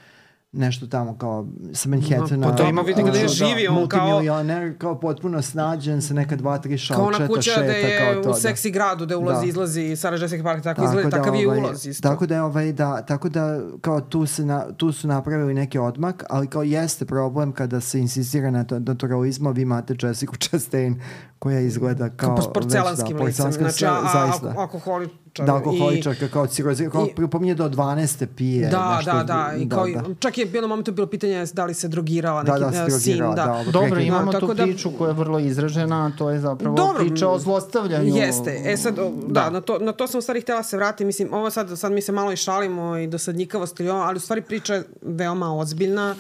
nešto tamo kao sa Manhattana. Pa to ima, vidi gde uh, živi, on kao- multimilioner, kao potpuno snađen sa neka dva, tri Kao ona šalčeta, kuća šeta, da je kao to. u da. seksi gradu, da ulazi, Da. izlazi Sarah Jessica Parker, tako, izgleda, da, takav je ovaj, ulaz isto. Tako da je ovaj, da, tako da kao tu, se na, tu su napravili neki odmak, ali kao jeste problem kada se insistira na to, naturalizmu, vi imate Jessica Chastain koja izgleda kao... Kao porcelanskim već, da, licem. Znači, a, a, zaista. a, alkoholičar. Da, alkoholičarka, kao cirozi, kao i- pominje do dvanaeste pije. Da, nešto, da, da. I kao, čak je bilo momentu bilo pitanje da li se drogirala Da, neki da, se e, drogirala, sin. Da. da, ovo Dobro, prekid- imamo Da, tu tako da- priču koja je vrlo izražena, a to je zapravo Dobro, priča o zlostavljanju. Jeste. E sad, o, da, Da. na, to, na to sam u stvari htjela se vratiti. Mislim, ovo sad, sad mi se malo i šalimo i dosadnjikavost, ili ovo, ali u stvari priča je veoma ozbiljna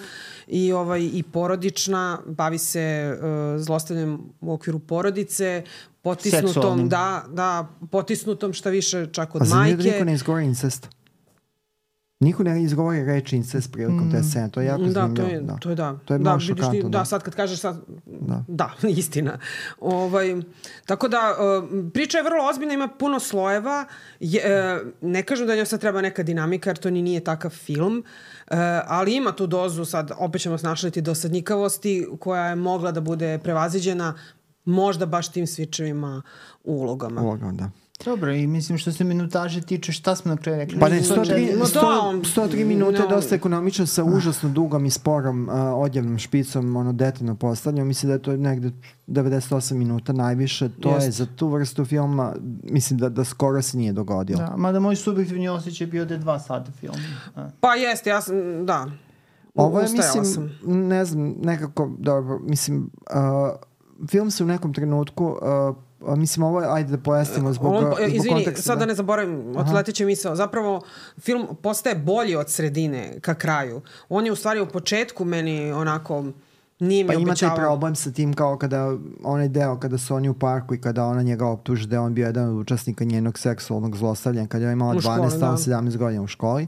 i, ovaj, i porodična. Bavi se uh, zlostavljanjem u okviru porodice, potisnutom, Seksualnim. da, da, potisnutom šta više čak od A za nju da majke. niko ne izgovori incest? Niko ne izgovori reči incest prilikom te scene, to je jako Da, zanimljivo. to je, da. to je da. To je da, malo vidiš ti- šokantno, da, da. sad kad kažeš sad, Da. da, istina. Ovaj, tako da, uh, priča je vrlo ozbiljna, ima puno slojeva. Je, uh, ne kažem da njoj sad treba neka dinamika, jer to ni nije takav film, uh, ali ima tu dozu, sad opet ćemo se našaliti dosadnjikavosti, koja je mogla da bude prevaziđena možda baš tim svičevima u ulogama. Ulogom, da. Dobro, i mislim što se minutaže tiče, šta smo na kraju rekli? Pa ne, sto tri, No sto, da, on- sto tri minute no. dosta ekonomično sa užasno dugom i sporom uh, odjavnom špicom, ono detaljno postavljeno. Mislim da je to negde devedeset osam minuta najviše. To Jest. je za tu vrstu filma, mislim da, da skoro se nije dogodilo. Da, mada moj subjektivni osjećaj je bio da je dva sata film. A. Pa jeste, ja sam, da. Ovo je, Ustajala mislim, sam. ne znam, nekako, dobro, mislim, uh, film se u nekom trenutku uh, a, mislim, ovo, ajde da pojasnimo zbog, On, zbog izvini, konteksta. sad da ne zaboravim, odleteće misao. Zapravo, film postaje bolji od sredine ka kraju. On je u stvari u početku meni onako nije mi pa obećavao. ima taj problem sa tim kao kada onaj deo, kada su oni u parku i kada ona njega optuži da je on bio jedan od učesnika njenog seksualnog zlostavljanja, kada je imala dvanaest, da. sedamnaest godina u školi.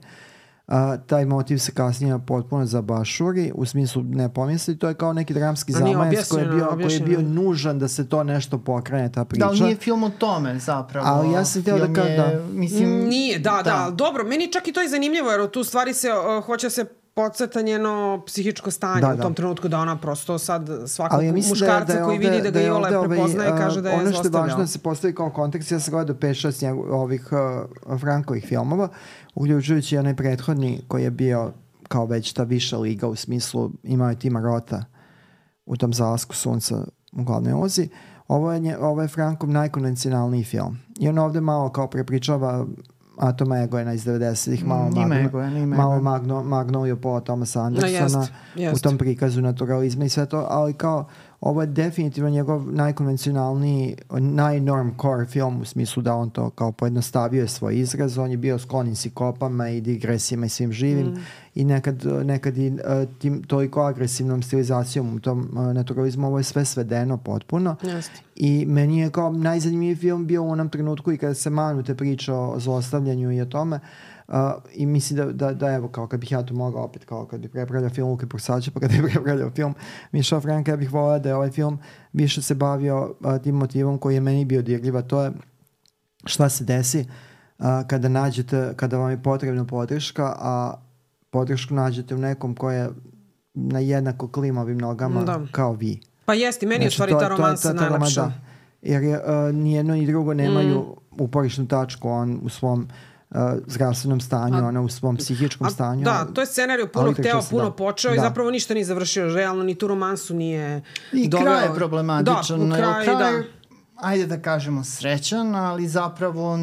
Uh, taj motiv se kasnije potpuno zabašuri, u smislu ne pomisli, to je kao neki dramski zamajac koji je, bio, koji je bio nužan da se to nešto pokrene, ta priča. Da, ali nije film o tome zapravo. Ali ja sam htio da kažem, da. Mislim, nije, da, da, da, dobro, meni čak i to je zanimljivo, jer tu stvari se, uh, hoće se podsjeta njeno psihičko stanje da, u tom da. trenutku da ona prosto sad svakog ja muškarca da je, da je koji ovde, vidi da ga Iole da prepoznaje ovaj, kaže da je zlostavljao. Ono što je važno da se postavi kao kontekst, ja sam gledao pet šest ovih uh, Frankovih filmova, uključujući onaj prethodni koji je bio kao već ta viša liga u smislu imao je Tima Rota u tom Zalasku sunca u glavnoj ulozi. Ovo je, ovo je Frankov najkonvencionalniji film. I on ovde malo kao prepričava Atoma Egoena iz devedesetih, malo, mm, magno, Egoen, malo magno, Magnolio Paula Thomasa Andersona no, jest, jest. u tom prikazu naturalizma i sve to, ali kao ovo je definitivno njegov najkonvencionalniji, najnormcore film u smislu da on to kao pojednostavio je svoj izraz, on je bio sklon psikopama i digresijama i svim živim mm. i nekad, nekad i uh, tim toliko agresivnom stilizacijom u tom uh, naturalizmu, ovo je sve svedeno potpuno. Just. I meni je kao najzanimljiviji film bio u onom trenutku i kada se manu te priče o zlostavljanju i o tome. Uh, i mislim da, da, da evo kao kad bih ja to mogao opet kao kad bih prepravljao film Luke Pursača pa kad bih prepravljao film Miša Franka, ja bih volao da je ovaj film više se bavio uh, tim motivom koji je meni bio dirljiv, a to je šta se desi uh, kada nađete, kada vam je potrebna podrška, a podršku nađete u nekom ko je na jednako klimavim nogama da. kao vi. Pa jesti, meni znači, je u stvari ta romansa najlepša. Da. Jer je, uh, nijedno i drugo nemaju mm. uporišnu tačku, on u svom Uh, zdravstvenom stanju, a, ona u svom psihičkom a, stanju. Da, to je scenariju puno hteo, puno da, počeo da. i zapravo ništa nije završio. Realno ni tu romansu nije I doveo. kraj je problematičan. Da, u kraju, kraj, da. Ajde da kažemo srećan, ali zapravo...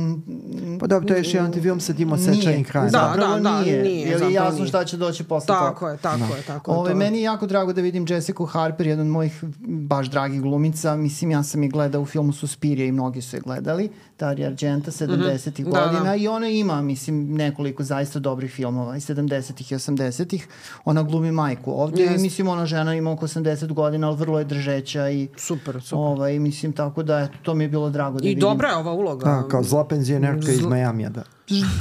Pa dobro, to je još jedan film sa tim osjećanim krajem. Da, zapravo da, nije. Da, nije. Jer je jasno nije. Šta će doći posle toga. Tako je, tako da. je, tako Ove, je. Meni je jako drago da vidim Jessica Harper, jedan od mojih baš dragih glumica. Mislim, ja sam je gledao u filmu Suspiria i mnogi su je gledali. Dario Argento, sedamdesetih mm-hmm. godina. Da, da. I ona ima, mislim, nekoliko zaista dobrih filmova. I sedamdesetih i osamdesetih. Ona glumi majku. Ovdje, yes. mislim, ona žena ima oko osamdeset godina, ali vrlo je držeća. I, super, super. Ovaj, mislim, tako da, eto, to mi je bilo drago da I vidim. dobra je ova uloga. Da, kao zla penzionerka Zl... iz Majamija, da.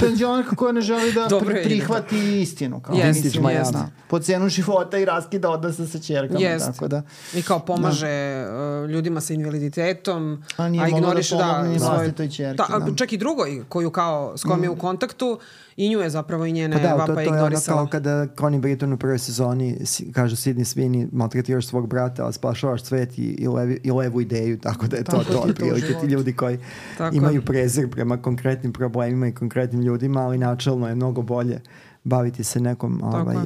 Penzionerka koja ne želi da pri, prihvati da. istinu. Kao, yes, mislim, yes. da, po cenu života i raskida odnosa sa ćerkama. Yes. Tako da, I kao pomaže da. ljudima sa invaliditetom, a, a ignoriše da, da svoj... Čerke, ta, da. Čak i drugoj koju kao s kojom mm. je u kontaktu i nju je zapravo i njene pa da, vapa to, to ignorisala. Je ono kao kada Connie Britton u prvoj sezoni kaže Sidney Sweeney, maltretiraš svog brata, ali spašavaš svet i, i, levi, i levu ideju, tako da je to to otprilike ti ljudi koji tako imaju prezir prema konkretnim problemima i konkretnim ljudima, ali načelno je mnogo bolje baviti se nekom ovaj, uh,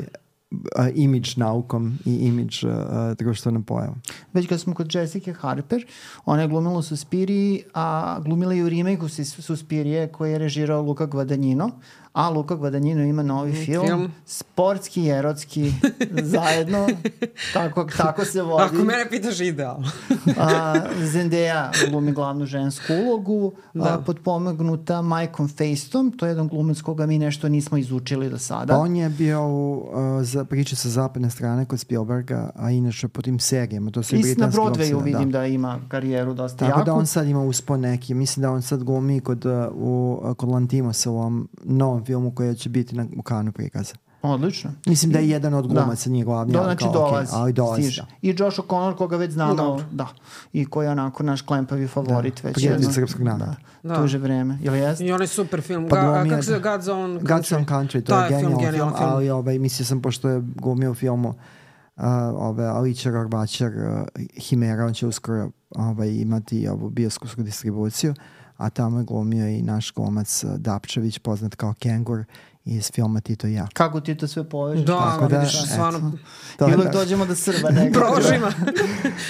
imidž naukom i imidž uh, društvenom pojavom. Već kad smo kod Jessica Harper, ona je glumila u Suspiriji, a glumila i u remake-u Suspirije koji je režirao Luca Guadagnino, a Luca Guadagnino ima novi film, film. sportski i erotski zajedno, tako, tako se vodi. Ako mene pitaš idealno. a, Zendaya glumi glavnu žensku ulogu, da. a, potpomognuta Mikeom Faistom, to je jedan glumac koga mi nešto nismo izučili do sada. Pa on je bio u uh, za priče sa zapadne strane kod Spielberga, a inače po tim serijama, to su i britanski na Broadwayu vidim da. da ima karijeru dosta tako jaku. Tako da on sad ima uspon neki, mislim da on sad glumi kod, uh, u, kod Lantimosa u ovom novom filmu koji će biti na, u Kanu prikaza. Odlično. Mislim da je jedan od glumaca, nije glavni, Do, ali znači kao, dolazi, okay, ali dolazi. I Josh O'Connor, koga već znamo, no, da, i koji je onako naš klempavi favorit da, već. Prijatelj srpskog naroda. Da, da. Tuže vreme. Ili jest? I onaj super film. Pa Ga, kako se zove God's Own Country? God's Own Country, to da, je genijalan film, film, film, ali ovaj, mislio sam, pošto je glumio u filmu uh, ove, Alića Rorbačar, uh, Himera, on će uskoro ovaj, imati ovu bioskopsku distribuciju, a tamo je glumio i naš glumac uh, Dapčević, poznat kao Kengur, iz filma Tito i ja. Kako ti to sve povežeš? Da, Tako vidiš, eto. stvarno To I je uvek tako. dođemo do Srba. Nekako. prožima.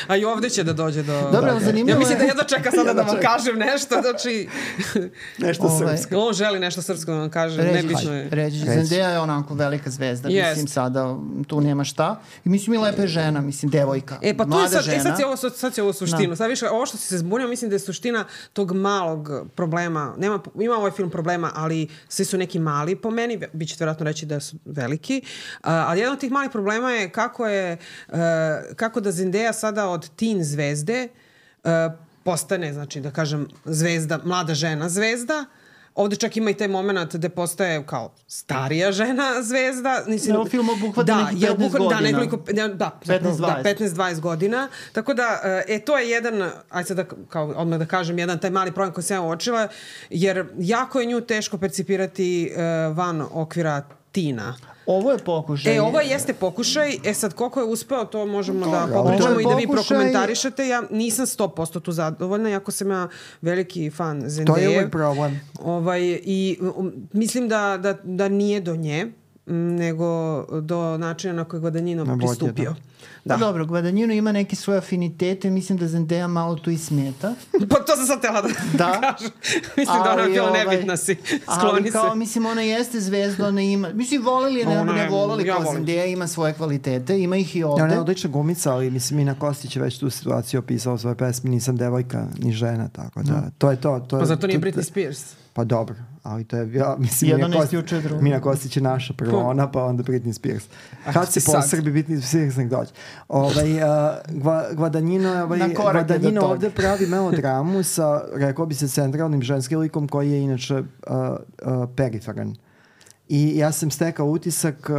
A i ovde će da dođe do... Dobro, da, zanimljivo Ja mislim da je- jedva čeka sada da vam kažem nešto, znači... Nešto Ovaj, srpsko. On želi nešto srpsko da vam kaže, Reći, nebitno je. reći, Reći. Zendaya je onako velika zvezda, Jest. mislim sada tu nema šta. I mislim i lepa je žena, mislim devojka, E pa to je mlada sad, žena. e, sad je ovo, sad će ovo suštinu. Da. Sad više, ovo što si se zbunio, mislim da je suština tog malog problema. Nema, ima ovaj film problema, ali svi su neki mali po meni, vi ćete vjerojatno reći da su veliki. A, ali jedan od tih malih problema je kako je, uh, kako da Zendaya sada od teen zvezde uh, postane, znači da kažem, zvezda, mlada žena zvezda. Ovde čak ima i taj moment gde postaje kao starija žena zvezda. Mislim, Da, film obuhvata da, nekih jer petnaest obuhvata- godina. Da, nekoliko, da, da, petnaest da, dvadeset. petnaest dvadeset godina. Tako da, e, to je jedan, ajde sad da, kao, odmah da kažem, jedan taj mali problem koji sam ja uočila, jer jako je nju teško percipirati e, van okvira tina. Ovo je pokušaj. E, ovo jeste pokušaj. E sad, koliko je uspeo, to možemo da Dobro, popričamo ovo je i da vi pokušaj- prokomentarišete. Ja nisam sto posto tu zadovoljna, iako sam ja veliki fan Zendaye. To je uvijek problem. Ovaj, I um, mislim da, da, da nije do nje, m, nego do načina na koji Guadagnino Na vodje, pristupio. Da. Da. Dobro, Guadagnino ima neke svoje afinitete, mislim da Zendaya malo tu i smeta. Pa to sam sad tela da, Da. kažem. Mislim da ona je Ali, bila ovaj, nebitna si. Ali Skloni kao, se. mislim, ona jeste zvezda, ona ima... Mislim, volili je, ne, Ona ne je- volili, ja kao volim. Zendaya ima svoje kvalitete, ima ih i Ja, ovde. ona je odlična glumica, ali mislim Mina Kostić je već tu situaciju opisao u svojoj pesmi Nisam devojka ni žena, tako da to je to. to Pa je- zato nije to- Britney Spears. Pa dobro, ali to je, ja mislim, Jedno Mina ne Kostić, isključuje drugo. Mina Kostić je naša prvo Pa- ona, pa onda Britney Spears. Ah, Kad se sad. posrbi Britney Spears, nek dođe. Ovaj, uh, Gva, Guadagnino, ovaj, Na korak je do Guadagnino toga. ovde pravi melodramu sa, rekao bi se, centralnim ženskim likom koji je inače uh, uh, periferan. I ja sam stekao utisak, uh,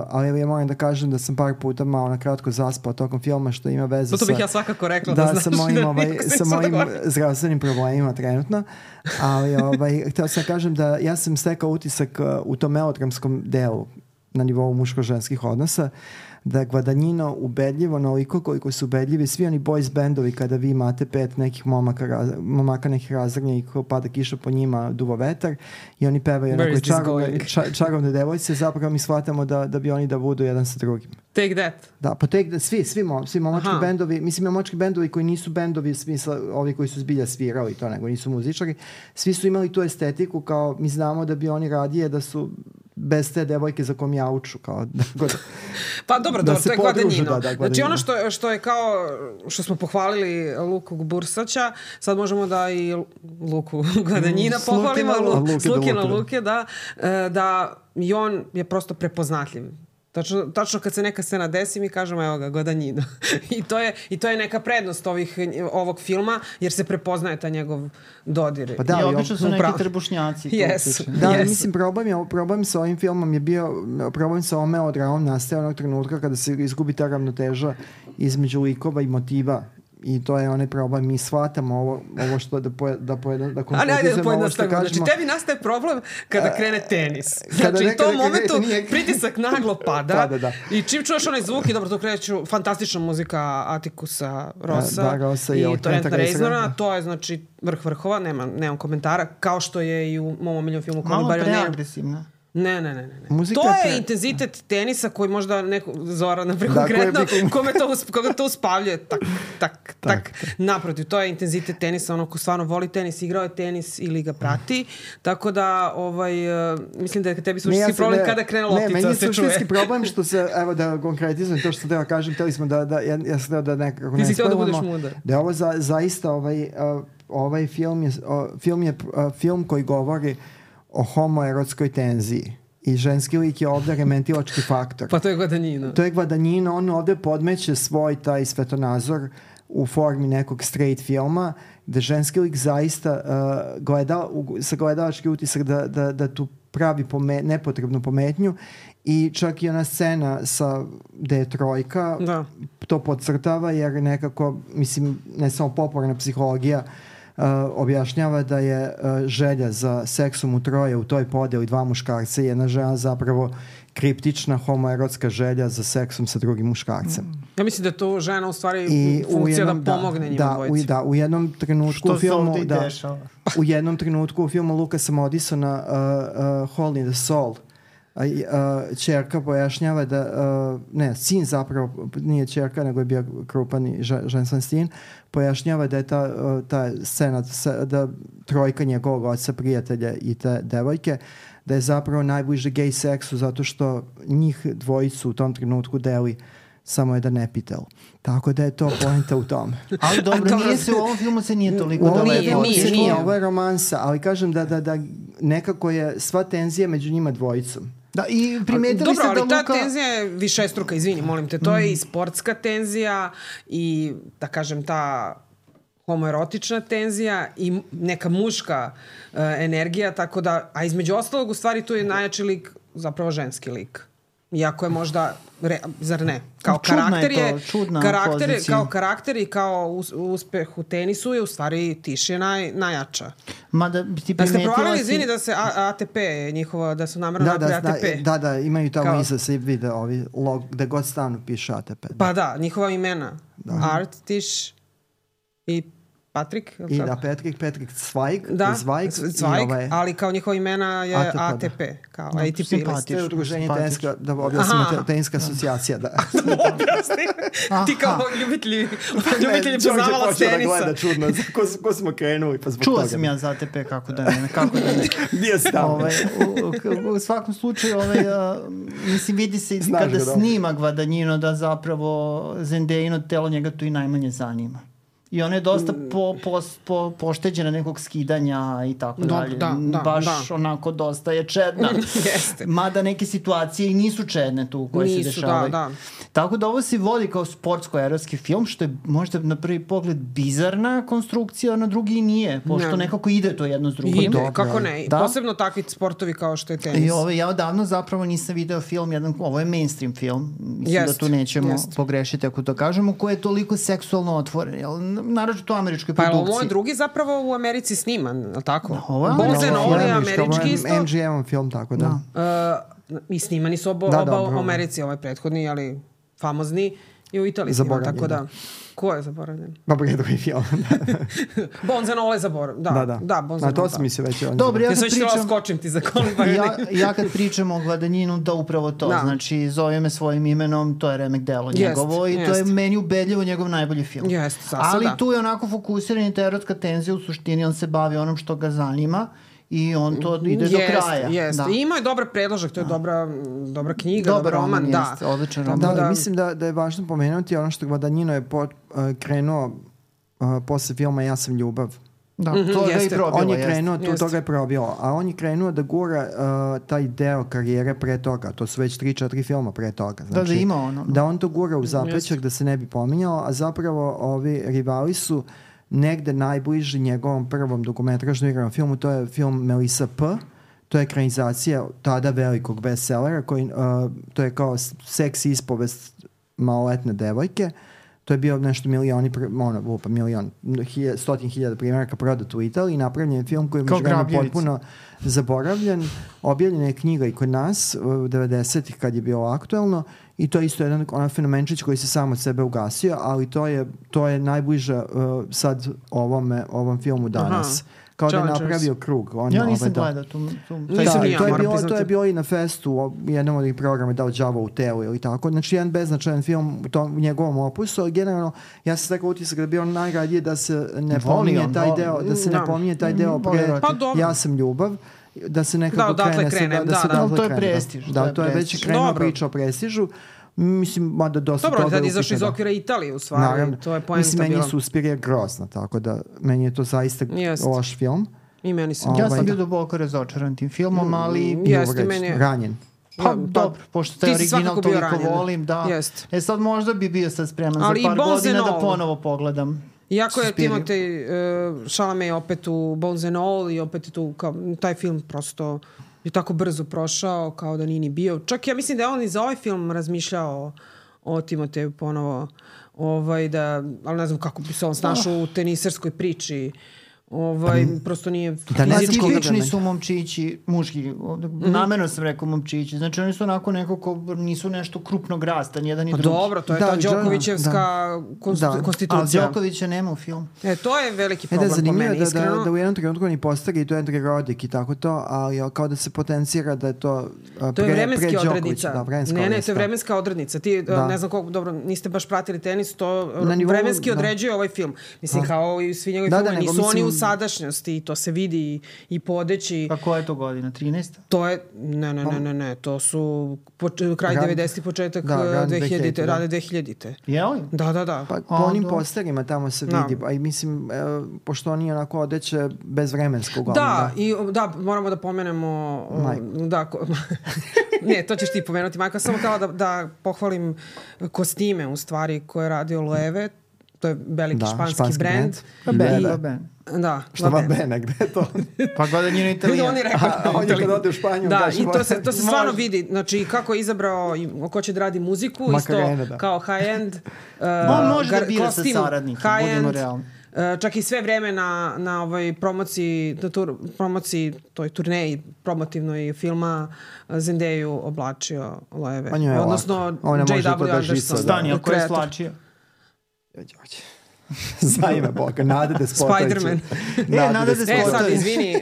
ali ja moram da kažem da sam par puta malo na kratko zaspao tokom filma, što ima veze To, to sa... bih ja svakako rekla da, Da, znaš sa mojim, da ovaj, niko se sa nisam mojim dogovorio. zdravstvenim problemima trenutno, ali ovaj, htio sam kažem da ja sam stekao utisak uh, u tom melodramskom delu na nivou muško-ženskih odnosa, da je Guadagnino ubedljivo onoliko koliko su ubedljivi svi oni boys bandovi kada vi imate pet nekih momaka, raz, momaka nekih razrednjih, pada kiša po njima, duvo vetar i oni pevaju Where onako is this čarovne, going? ča, čarovne devojce, zapravo mi shvatamo da, da bi oni da budu jedan sa drugim. Take that. Da, pa tek da svi, svi, mom, svi momački Aha. bendovi, mislim momački bendovi koji nisu bendovi u smislu ovi koji su zbilja svirali to, nego nisu muzičari, svi su imali tu estetiku kao mi znamo da bi oni radije da su bez te devojke za kom jauču, kao da, god, Pa dobro, Da dobro, se to je podruže, Guadagnino. da, da, Znači Guadagnino. ono što, je- što je kao, što smo pohvalili Luku Bursaća, sad možemo da i Luku Guadagnina Mm, s pohvalimo, Lukina Lu- Luke s do Lukina Luke, da. Luke, da, e, da i on je prosto prepoznatljiv. Tačno, tačno kad se neka scena desi mi kažemo evo ga, Guadagnino. I, to je, I to je neka prednost ovih, ovog filma jer se prepoznaje ta njegov dodir. Pa da, I ali obično su on- neki upravo. trbušnjaci. to Yes. utiče. Da, ali Yes. mislim, problem, je, problem sa ovim filmom je bio, problem sa ovom melodramom nastaje onog trenutka kada se izgubi ta ravnoteža između likova i motiva. I to je onaj problem. Mi shvatamo ovo, ovo što da, poje, da, poje, da Ali ajde da konkretizujemo ovo što pojednostavimo. Znači, kažemo. tebi nastaje problem kada krene tenis. kada Znači, u neka- tom neka- momentu nije- pritisak naglo pada. Pada, da. I čim čuješ onaj zvuk i dobro, to kreću fantastična muzika Atikusa Rosa, Da, Rosa i i ovog Trenta Trenta Reznora, Reznora. da. To je, znači, vrh vrhova, nema, nemam komentara. Kao što je i u mom omiljenom filmu Call Me Malo By Your Name. preagresivna. Ne, ne, ne, ne. ne. Muzika To je pre- intenzitet tenisa koji možda neko, Zora, naprijed Da, koji je konkretno, nekom- kome to, us, koga to uspavljuje, tak, tak, tak. Naprotiv, to je intenzitet tenisa, ono ko stvarno voli tenis, igrao je tenis ili ga prati, tako da, ovaj, uh, mislim da je tebi Ne, suštinski ja sam- problem ne, kada krene Ne, loptica meni da je se čuje. suštinski problem što se, evo da konkretizujem to što sam teo kažem, teli smo da, da ja, ja sam teo da nekako Ti ne si hteo da spojlamo, budeš mudar. da je ovo za, zaista ovaj, uh, ovaj film je, uh, film je uh, film koji govori o homoerotskoj tenziji i ženski lik je ovde remetilački faktor. Pa to je Guadagnino. To je Guadagnino, on ovde podmeće svoj taj svetonazor u formi nekog straight filma, gde ženski lik zaista uh, gleda, u, sa gledalački utisak da, da, da tu pravi pome, nepotrebnu pometnju i čak i ona scena sa gde je trojka Da. to podcrtava jer nekako, mislim, ne samo popularna psihologija Uh, objašnjava da je uh, želja za seksom u troje u toj podeli dva muškarca i jedna žena zapravo kriptična homoerotska želja za seksom sa drugim muškarcem. Ja mislim da je to žena u stvari I u funkcija jednom, da pomogne njima da, u, dvojici. da, u jednom trenutku Što u se filmu ovde i da, dešava. u jednom trenutku u filmu Lukasa Modisona uh, uh, Hole in the Soul a, a, čerka pojašnjava da, a, ne, sin zapravo, nije čerka, nego je bio krupan i ženstven sin, pojašnjava da je ta, a, ta scena, da trojka njegovog oca, prijatelja i te devojke, da je zapravo najbliže gej seksu zato što njih dvojicu u tom trenutku deli samo jedan epitel. Tako da je to poenta u tome. Ali dobro, nije se u ovom filmu se nije toliko u ovom dobro. Nije, nije, se nije. Ovo je romansa, ali kažem da, da, da nekako je sva tenzija među njima dvojicom. Da, i primetili Dobro, ste da ali ta Luka... tenzija je višestruka, izvini, molim te. To je i sportska tenzija i, da kažem, ta homoerotična tenzija i neka muška uh, energija, tako da, a između ostalog, u stvari, tu je najjači lik, zapravo ženski lik. Iako je možda, re, zar ne? Kao Čudna karakter je je, to, čudna karakter je, pozicija. kao karakter i kao us, uspeh u tenisu je u stvari Tiš je naj, najjača. Mada ti Da ste primetila provalili, si... izvini, da se A- ATP njihova, da su namerno Da, napravili da, A T P. da, da, imaju tamo Kao- iza se vide ovi log, gde god stanu piše A T P. Pa da, njihova imena. Art, Tiš i Patrik. je li I tako? da, Petrik, Petrik Zweig, Da, Zweig, Zweig, i ovaj, ali kao njihova imena je A T P, A T P, kao Da, A T P simpatično. list. to je udruženje Simpatično. tenska, da objasnimo, Aha. te- tenska asocijacija, da. Objasni. Ti kao ljubitelji, ljubitelji poznavala počeo da tenisa. gleda čudno, za ko, ko smo krenuli, pa zbog Čuo toga. sam ja za A T P, kako da ne, kako da ne. Gdje si tamo? Ovaj, u, u, u svakom slučaju, ovaj, a, mislim, vidi se Znaš kada ga dobro. snima Gvadanjino da zapravo Zendejino telo njega tu i najmanje zanima. I ona je dosta po, po, po, pošteđena nekog skidanja i tako Dobro, dalje. da, da, Baš da. onako dosta je čedna. Jeste. Mada neke situacije i nisu čedne tu koje Nisu, se dešavaju. da, da. Tako da ovo se vodi kao sportsko-erotski film, što je možda na prvi pogled bizarna konstrukcija, a na drugi i nije, pošto Ne. nekako ide to jedno s drugim. Ide, dobro, kako ali- ne. Da. Posebno takvi sportovi kao što je tenis. I ovo, ja odavno zapravo nisam video film, jedan, ovo je mainstream film, mislim Jest, da tu nećemo jest. pogrešiti ako to kažemo, koji je toliko seksualno otvoren, jel, naročito u američkoj Pa je ovo produkciji. moj drugi zapravo u Americi sniman, je li tako? Ovo je Bones and američki, All je Američki, ovo američki je isto. M G M film, tako da. Uh, I snimani su oba, Da, oba dobro. u Americi, ovaj prethodni, ali famozni i u Italiji sniman, Zaboravljen, tako da. da. Ko je zaboravljen? Dobro, je drugi film. Bones and All je zaboravljen, da. da, da. Da, Bones Na and to All, sam da. mislio već. on- Dobro, ja Ja kad sam htjela pričam... skočim ti za kolima. ja, ja kad pričam o Gvadanjinu, da upravo to, Da. znači zove me svojim imenom, to je remek delo Jest, njegovo i to je jest. meni ubedljivo njegov najbolji film. Jeste, sasvim Ali da. tu je onako fokusiran i ta erotska tenzija, u suštini on se bavi onom što ga zanima i on to ide do kraja. Jeste, Da. I ima je dobar predložak, to je dobra, dobra knjiga, Dobar dobar roman, roman, da. jeste, odličan roman. Da, Tako da, mislim da, da je važno pomenuti ono što Gvadanjino je po, uh, krenuo uh, posle filma Ja sam ljubav. Da, Mhm, to ga i jeste. probilo. On je jeste. krenuo, tu Jeste. toga je probilo, a on je krenuo da gura uh, taj deo karijere pre toga, to su već tri, četiri filma pre toga. Da, da ima ono. Da on to gura u zapećak, Jeste. da se ne bi pominjao, a zapravo ovi rivali su negde najbliži njegovom prvom dokumentražnom igranom filmu, to je film Melissa P. To je ekranizacija tada velikog bestsellera, koji, uh, to je kao seks ispovest maloletne devojke. To je bio nešto milioni, pr- ono, lupa, milion, hilja, stotin hiljada primjeraka prodat u Italiji. Napravljen je film koji je Kao među vremenu Grabljevica. potpuno zaboravljen. Objavljena je knjiga i kod nas u devedesetih kad je bilo aktuelno i to je isto jedan onaj fenomenčić koji se sam od sebe ugasio, ali to je, to je najbliže uh, sad ovome, ovom filmu danas. Aha. Kao da je Challengers. napravio krug. On, Ja ovaj, nisam da. gledao tu, tu, Nisam Da, ni ja, to je, moram bilo, to priznati. je bilo i na festu u jednom od ovih programa dao đavo u telu ili tako. Znači jedan beznačajan film u, tom, u njegovom opusu, ali generalno ja sam stekao utisak da bi on najradije da se ne Voli pominje on, taj voli. deo, da se Da. ne pominje taj deo Voli pre erotiku. Pa dobro. Ja sam ljubav, da se nekako Da, odatle krene, se- krene, da, da, da, se da. odatle To je krene, da. prestiž, Da, to je to je već prestiž. krenula Dobro. priča o prestižu. Mislim, mada dosta Dobro, toga tad je izašli iz upitno, da. okvira Italije u stvari, Naravno. to je poenta Mislim, meni bila. je Suspirija grozna, tako da meni je to zaista Jest. loš film. I meni se. Ovaj, Ja sam bio da. duboko razočaran tim filmom, ali... Mm, Jeste, Uvreć, meni je- ranjen. Pa, Pa, dobro, pošto taj ti si original svakako bio toliko ranjen. volim, da. Jest. E sad možda bi bio sad spreman Ali i za par Bones godina and da All. ponovo pogledam. Iako je Suspiriju. Timotej uh, Chalamet opet u Bones and All i opet je tu kao, taj film prosto je tako brzo prošao kao da nije ni bio. Čak ja mislim da je on i za ovaj film razmišljao o, o Timoteju ponovo. Ovaj, da, ali ne znam kako bi se on snašao u teniserskoj priči. Ovaj, prosto nije Da ne fizički... znam koga Tipični da su momčići, muški, mm-hmm. namerno sam rekao momčići, znači oni su onako neko ko nisu nešto krupnog rasta, nijedan i Pa drugi. dobro, to je Da, ta da, Đokovićevska da. konst- Da. konstitucija. Ali Đokovića nema u filmu. E, to je veliki E da, problem po zanimljivo meni, da, iskreno. da, da u jednom trenutku oni postari i to je Andrej Rodik i tako to, ali kao da se potencira da je to a, To je pre, vremenski pre Đokovića. odrednica. Da, vremenska ne, ne, to odrednica, je da. vremenska odrednica. Ti, Da. ne znam koliko, dobro, niste baš pratili tenis, to Na nivou, vremenski da. određuje ovaj film. Mislim, Da. kao i svi njegovi Da, da, filmovi, nego nisu oni mislim- u sadašnjosti, to se vidi i, i po odeći. Pa koja je to godina? trinaesta? To je, ne, ne, ne, ne, ne, to su poč- kraj Rad- devedesetih, početak da, eh, rad dvehiljadite, dvehiljadite, da. rade dvehiljadite. Je li? Da, da, da. Pa po A, onim dobro. posterima tamo se Da. vidi, a i mislim, e, pošto oni onako odeće bezvremensko uglavnom. Da, i da, moramo da pomenemo o, Majku. da, ko, ne, to ćeš ti pomenuti, Majka, samo kao da, da pohvalim kostime u stvari koje je radio Loewe, to je veliki Da, španski, španski brand. brand. Pa I- Ben, I- pa Ben. Da, Šta va va ben. Bene, gde je to? Pa godinjeno On je Italijan. rekao, A, on je kad ode u Španiju, da, kaže, i to se, to se stvarno Može. vidi. Znači, kako je izabrao, i ko će da radi muziku, Makarena, isto da. kao high-end. Uh, On može da gar- bira sa kostim, saradnikom, budemo high-end. realni. Uh, čak i sve vreme na, na ovoj promociji, na tur, promociji, toj turneji promotivnoj filma uh, Zendeju oblačio Loewe. Pa njoj je Odnosno lako. Ona može J to W da Anderson. žica, da. Stani, ako je kreator. slačio. Za ime Boga, Nade Despotović. Spider-Man. E, Nada E, sad, Despotović. izvini,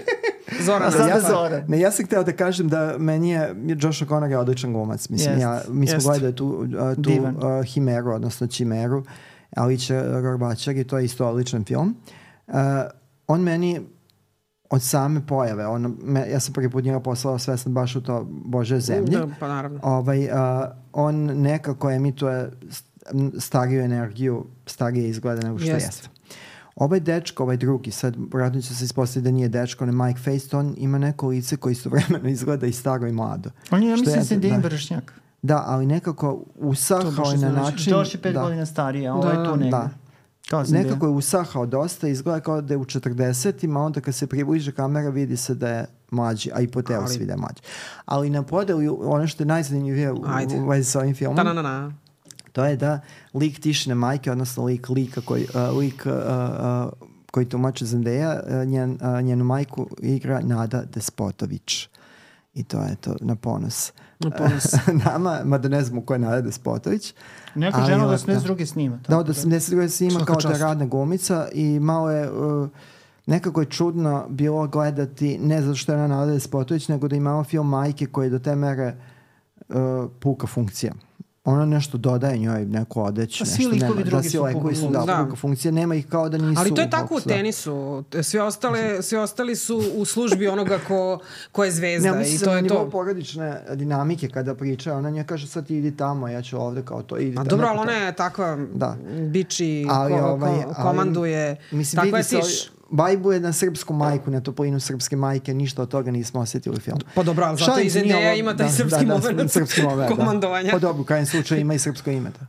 Zoran. A sad ja, je Zoran. ne, ja sam hteo da kažem da meni je Josh O'Connor je odličan glumac. Mislim, Jest, ja, mi smo jest. gledali tu, uh, tu Divan. uh, Himeru, odnosno Čimeru, Alića Gorbačar i to je isto odličan film. Uh, on meni od same pojave, on, me, ja sam prvi put njega poslao svestan baš u to Bože zemlje. Da, pa naravno. Ovaj, uh, on nekako emituje st- stariju energiju, starije izgleda nego što Jest. jeste. Ovaj dečko, ovaj drugi, sad vratno će se ispostaviti da nije dečko, on je Mike Faist, on ima neko lice koji istovremeno izgleda i staro i mlado. On je, ja Što mislim, je- se Dejan da. Vršnjak. Da, ali nekako To usahao baš je na znači. način... Josh je pet da, godina stariji, a ovo je Da, tu da. negde. Da. Kao sam Nekako je usahao dosta, izgleda kao da je u četrdesetima, onda kad se približe kamera vidi se da je mlađi, a i po telu Ali- se vidi da je mlađi. Ali na podelu, ono što je najzanimljivije u, Ajde. u vezi sa ovim filmom, Ta-na-na-na. to je da lik Tišine majke, odnosno lik lika koji, uh, lik uh, uh, koji tumače Zendeja, uh, njen, uh, njenu majku igra Nada Despotović. I to je to na ponos. Na ponos. Nama, mada ne znamo ko je Nada Despotović. Neka ali žena od ovako, osamdeset druge snima. Da, tako od osamdeset druge se ima Svaka kao da je čast. radna glumica i malo je... Uh, nekako je čudno bilo gledati, ne zato što je ona Nada Despotović, nego da imamo film majke koji je do te mere uh, puka funkcija. Ona nešto dodaje njoj, neku odeću. Pa svi nešto likovi nema. drugi da, su svi likovi su, da, Da. puka funkcija. Nema ih kao da nisu... Ali to je u tako u boksu, da. tenisu. Sve, ostale, sve ostali su u službi onoga ko, ko je zvezda. Ne, I mislim to to na je nivou to. porodične dinamike kada priča, ona nje kaže sad ti idi tamo, ja ću ovde kao to. Idi A tamo, dobro, neko ali ona to. je takva Da. biči, Ali, ko, ovaj, ko, ali, komanduje. Mislim, Takva je vidi se, tiš. Bajbuje na srpsku majku, na toplinu srpske majke, ništa od toga nismo osjetili u filmu. Pa dobro, ali zato Šalim i se, nije Zendeja ovo- ima taj da, srpski da, da, moment srpski moment, da. komandovanja. Pa dobro, u krajem slučaju ima i srpsko ime. Da.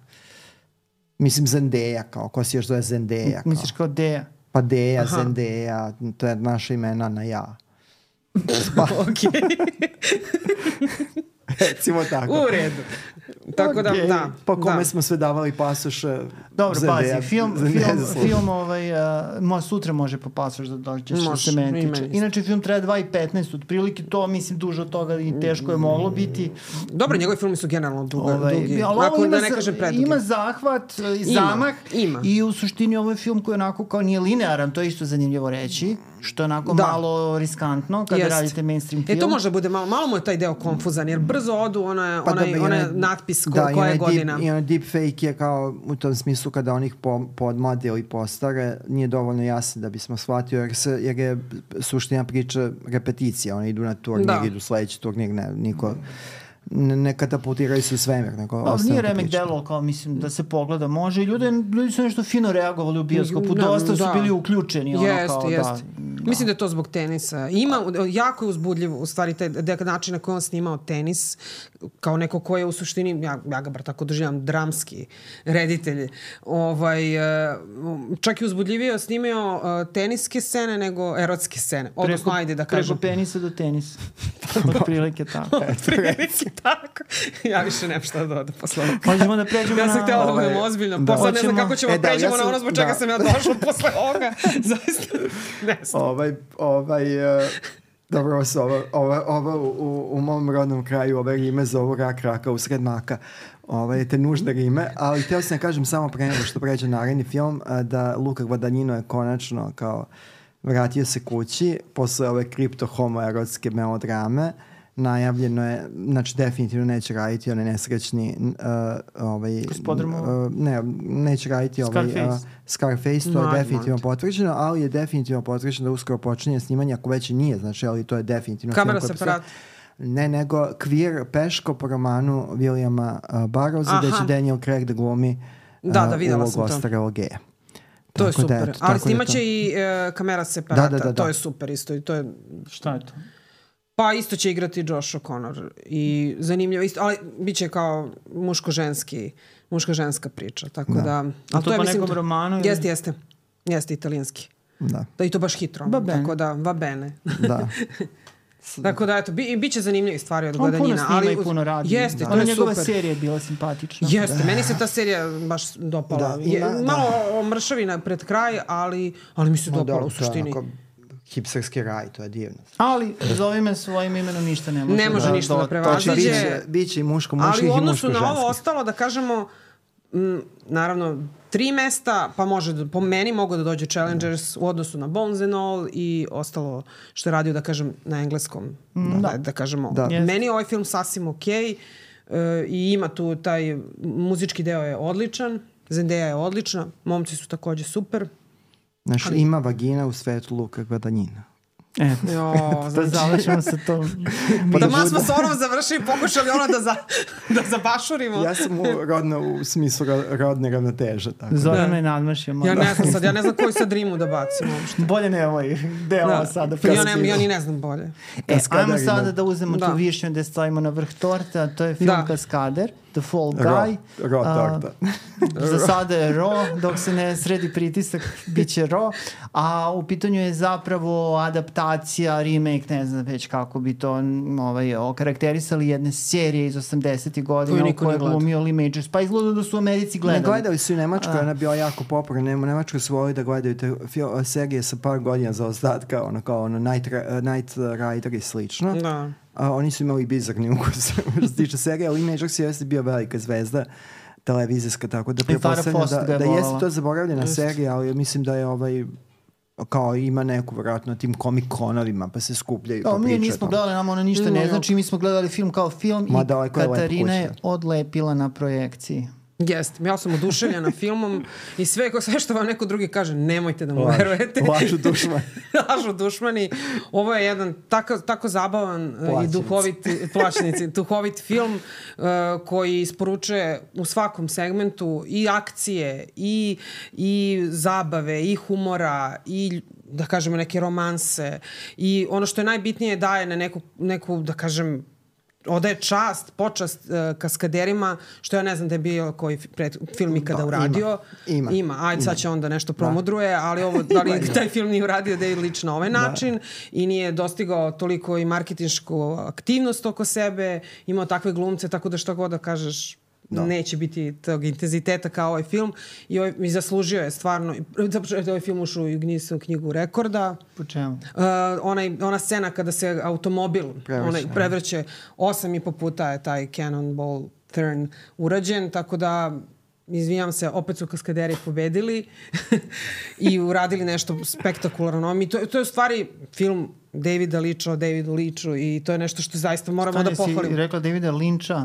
Mislim Zendeja, kao, ko si još zove Zendeja. Kao. Misliš kao Deja? Pa Deja, Aha. Zendeja, to je naša imena na ja. Okej, Recimo tako. u redu. Tako da, Okej. da. Po kome da. smo sve davali pasoše. Dobro, Zendeja, pazi, film, Zendeja film, zaslužuje. film ovaj, uh, mo, sutra može po pasoš da dođeš što Može, se meni i tiče. meni isto. Inače, film traje dva i petnaest, otprilike to, mislim, duže od toga i teško je moglo biti. Dobro, njegovi filmi su generalno duga, Ovaj, dugi. ali ovo Ako ima, da ne za- kažem predugi. ima zahvat, e, Ima, zamah ima. i u suštini ovo je film koji onako kao nije linearan, to je isto zanimljivo reći, što je onako Da. malo riskantno kada Jest. radite mainstream film. E to može bude malo, malo mu je taj deo konfuzan, jer brzo odu ona, Pa onaj, dobro, i onaj onaj- natpis ko, da, i koja onaj je godina. Deep, i onaj deepfake je kao u tom smislu kada onih po, podmlade ili postare nije dovoljno jasno da bismo shvatio jer, se, jer je suština priče repeticija. Oni idu na turnir, Da. idu sledeći turnir, ne, niko ne, ne katapultiraju se u svemir. Nego Pa, ostane nije ta remek priča. delo, kao mislim da se pogleda može i ljudi, ljudi su nešto fino reagovali u bioskopu, Da, dosta su da. bili uključeni. Ono, Jeste, kao, jeste. Da, Mislim da je to zbog tenisa. Ima, jako je uzbudljiv u stvari taj dek- način na koji on snimao tenis, kao neko ko je u suštini, ja, ja ga bar tako doživljam, dramski reditelj. Ovaj, e, čak i uzbudljivije snimao e, teniske scene nego erotske scene. Odnosno, ajde da kažem. Preko penisa do tenisa. Od prilike tako. Prilike tako. Ja više nemam šta da dodam posle ovoga. Možemo da pređemo Ja na... sam htjela da ovaj, budem ozbiljno. da. Pa sad ne znam Hoćemo- kako ćemo E, da, pređemo ja na sam- ono zbog čega da. sam ja došla posle ovoga. Zaista ne znam. Ovaj, ovaj, uh, dobro, ovo su ovo, ovo, ovo u, u mom rodnom kraju ove rime zovu rak raka usred maka. Ovaj, te nužne rime, ali htio sam da kažem samo pre nego što pređe naredni film, uh, da Luka Guadagnino je konačno kao vratio se kući posle ove kripto homoerotske melodrame. Najavljeno je, znači definitivno neće raditi onaj nesrećni uh, ovaj, Gospodar Mu- uh, ne, neće raditi ovaj uh, Scarface. Scarface, to je Mad definitivno Monty. potvrđeno, ali je definitivno potvrđeno da uskoro počinje snimanje, ako već i nije, znači, ali to je definitivno Kamera film koji separat. postoji. Ne, nego Queer Peško po romanu Williama uh, Barrowsa, gde Aha. će Daniel Craig da glumi uh, Da, da, videla ulogu sam to. ostarelog geja. To je Tako da, super. eto, Ali tako da snimat to- će i e, kamera separata. Da, da, da, da. To je super isto. I to je, Šta je to? pa isto će igrati Josh O'Connor. I zanimljivo isto, ali bit će kao muško-ženski, muško-ženska priča. Tako da... Da. ali to je, po mislim, nekom to- romanu ili- Jeste, jeste. Jeste italijanski. Da, Da, i to baš hitro. Va bene. Tako da, va bene. da. Tako da, eto, bi, i bit će zanimljivi stvari od On puno Guadagnina. snima ali i puno radi. Jeste, Da. to je Njegova super. serija je bila simpatična. Jeste, meni se ta serija baš dopala. Da, Je, ima- da. malo omršavina pred kraj, ali, ali mi se Ma dopala da, u to je suštini. onako hipsterski raj, to je divno. Ali zove me svojim imenom ništa ne može. Ne može ništa da do- prevaziđe. Znači, Dođe- biće, biće i muško Ali muških u i odnosu muško na ovo ženskih. ostalo, da kažemo, m, naravno, tri mesta, pa može, da, po meni mogu da dođe Challengers u odnosu na Bones and All i ostalo što je radio, da kažem, na engleskom. Da, da, da kažemo. Da. Jeste. Meni je ovaj film sasvim okej e, i ima tu taj muzički deo je odličan, Zendaya je odlična, momci su takođe super. Znači, ima vagina u svetu Luka Guadagnina. Eto, Jo, da znači, završimo sa tom. da mas smo s onom završili, pokušali ono da, za, da zabašurimo. Ja sam u, rodno, u smislu ro- rodne ravnoteže. Tako. Zorana Da. je nadmašio malo. Ja ne znam sad, ja ne znam koji sad rimu da bacim uopšte. Bolje ne ovaj deo Da. sada. Ja, ne, ja ni ne znam bolje. E, Kaskader ajmo ima- sada da uzmemo Da. tu višnju da je stavimo na vrh torte, a to je film Da. Kaskader, The Fall Ro, Guy. ro A, torta. Za sada je Ro, dok se ne sredi pritisak, bit će Ro. A u pitanju je zapravo adaptacija, remake, ne znam već kako bi to m, ovaj, okarakterisali, jedne serije iz osamdesetih godina Koju u niko kojoj ne gleda. glumio Lee Majors. Pa izgleda da su u Americi Ne gledali. gledali su i u Nemačkoj, A. ona je bila jako popularna. U Nemačkoj su volili da gledaju te fil- serije sa par godina za ostatka, ono kao ono Night, Ra- Night Rider i slično. Da. A oni su imali bizarni ukus što se tiče serije, ali Lee Majors je jeste bio velika zvezda televizijska, tako da Farrah pretpostavljam Fawcett ga da, je da volala. jeste to zaboravljena serija, ali mislim da je ovaj kao ima neku vjerojatno tim komik-konovima, pa se skupljaju Da, pa mi pričaju nismo o tome. gledali, nama ono ništa No, ne jo. znači, mi smo gledali film kao film Ma i daleko je lepo Katarina je kući. odlepila na projekciji. Jeste, ja sam oduševljena filmom i sve, ko- sve što vam neko drugi kaže, nemojte da mu Laž- verujete. Lažu dušman. Lažu dušmani. Ovo je jedan tako, tako zabavan e, i Plaćenici. duhovit, plaćenici, duhovit film e, koji isporučuje u svakom segmentu i akcije, i, i zabave, i humora, i da kažemo neke romanse. I ono što je najbitnije daje na neku, neku da kažem, odaje čast, počast uh, kaskaderima, što ja ne znam da je bio koji fi- pred, film ikada Da, uradio. ima, ima. Ima. Ajde, sad će onda nešto promudruje, ali ovo, da li Ima, ima. taj film nije uradio David Leitch na ovaj način i nije dostigao toliko i marketinšku aktivnost oko sebe, imao takve glumce, tako da što god da kažeš, neće biti tog intenziteta kao ovaj film i, ovaj, i zaslužio je stvarno, zato što je ovaj film ušao i u Guinnessovu knjigu rekorda. Po čemu? Uh, onaj, ona scena kada se automobil Prevrće, onaj, ja. prevrće osam i po puta je taj Cannonball turn urađen, tako da izvinjam se, opet su kaskaderi pobedili i uradili nešto spektakularno. Mi to, to je u stvari film Davida Leitcha o Davidu Leitchu i to je nešto što zaista moramo da Stani si pohvalimo. rekla Davida Lyncha.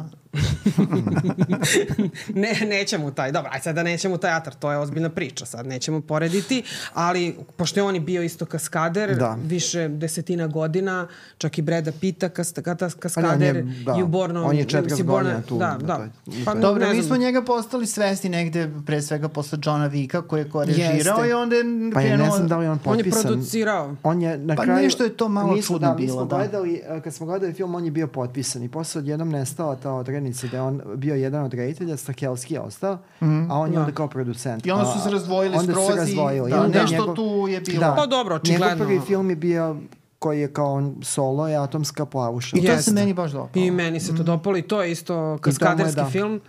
Ne, nećemo u taj, dobro, aj sad da nećemo u teatar, to je ozbiljna priča, sad nećemo porediti, ali pošto je on i bio isto kaskader, Da. više desetina godina, čak i Breda Pitta kas, kas, On kaskader je, da, i u Bornom... on je četrdeset si Borna- godina tu, Da, na da. toj- Pa, Dobro, ne mi znam. smo njega postali svesni negde, pre svega posle Johna Vicka, koji je korežirao Jeste. i onda je Pa ja ne krenuo... znam da li je on On je potpisan. producirao. On je na Pa kraju... nešto je to malo mi smo- čudno da, mi bilo, smo da. Gledali, eh, kad smo gledali film, on je bio potpisan i posle odjednom nestala ta odrednica da je on bio jedan od reditelja, Stahelski je ostao, a on je Da. onda kao producent. I onda su A, se razdvojili onda su skroz se i razdvojili. da, I onda nešto njegov- tu je bilo. Da. Pa dobro, očigledno. Njegov prvi film je bio koji je kao solo je Atomska plavuša. I to Jeste. se meni baš dopalo. I meni se to dopalo i to je isto kaskaderski da. film.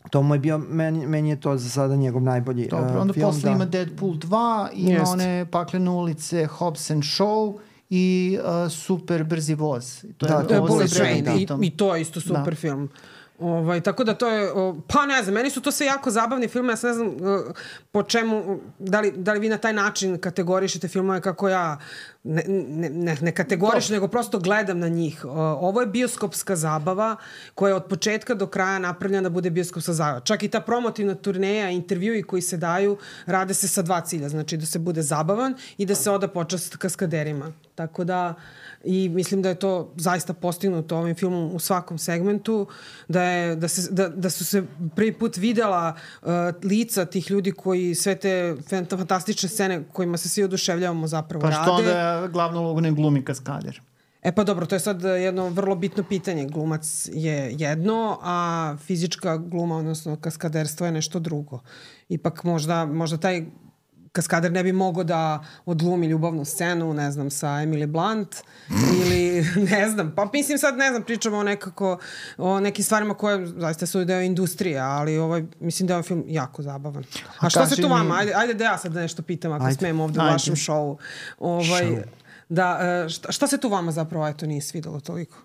To mu je bio, meni, meni je to za sada njegov najbolji Dobro, uh, onda film. posle ima Deadpool dva, ima Jest. one Paklene ulice, Hobbs and Shaw i uh, Super brzi voz. To Da, je to je ovo Bullet sa Train Bradom i, Pittom. i to je isto super Da. film. Ovaj, tako da to je, o, pa ne znam, meni su to sve jako zabavni filme, ja sad ne znam uh, po čemu, da li, da li vi na taj način kategorišete filmove kako ja ne, ne, ne, ne kategorišem, nego prosto gledam na njih. O, ovo je bioskopska zabava koja je od početka do kraja napravljena da bude bioskopska zabava. Čak i ta promotivna turneja, intervjui koji se daju, rade se sa dva cilja, znači da se bude zabavan i da se oda počast kaskaderima. Tako da, i mislim da je to zaista postignuto ovim filmom u svakom segmentu, da, je, da, se, da, da su se prvi put videla uh, lica tih ljudi koji sve te fantastične scene kojima se svi oduševljavamo zapravo Pa rade. što onda glavnu ulogu ne glumi kaskader? E pa dobro, to je sad jedno vrlo bitno pitanje. Glumac je jedno, a fizička gluma, odnosno kaskaderstvo je nešto drugo. Ipak možda, možda taj kaskader ne bi mogao da odglumi ljubavnu scenu, ne znam, sa Emily Blunt ili ne znam, pa mislim sad ne znam, pričamo o nekako o nekim stvarima koje zaista su deo industrije, ali ovaj, mislim da je ovaj film jako zabavan. A, a šta se tu vama? Ajde, ajde da ja sad nešto pitam ako Ajde. smijem ovde Ajde. u vašem šovu. Ovaj, Show. da, šta, šta se tu vama zapravo eto nije svidelo toliko?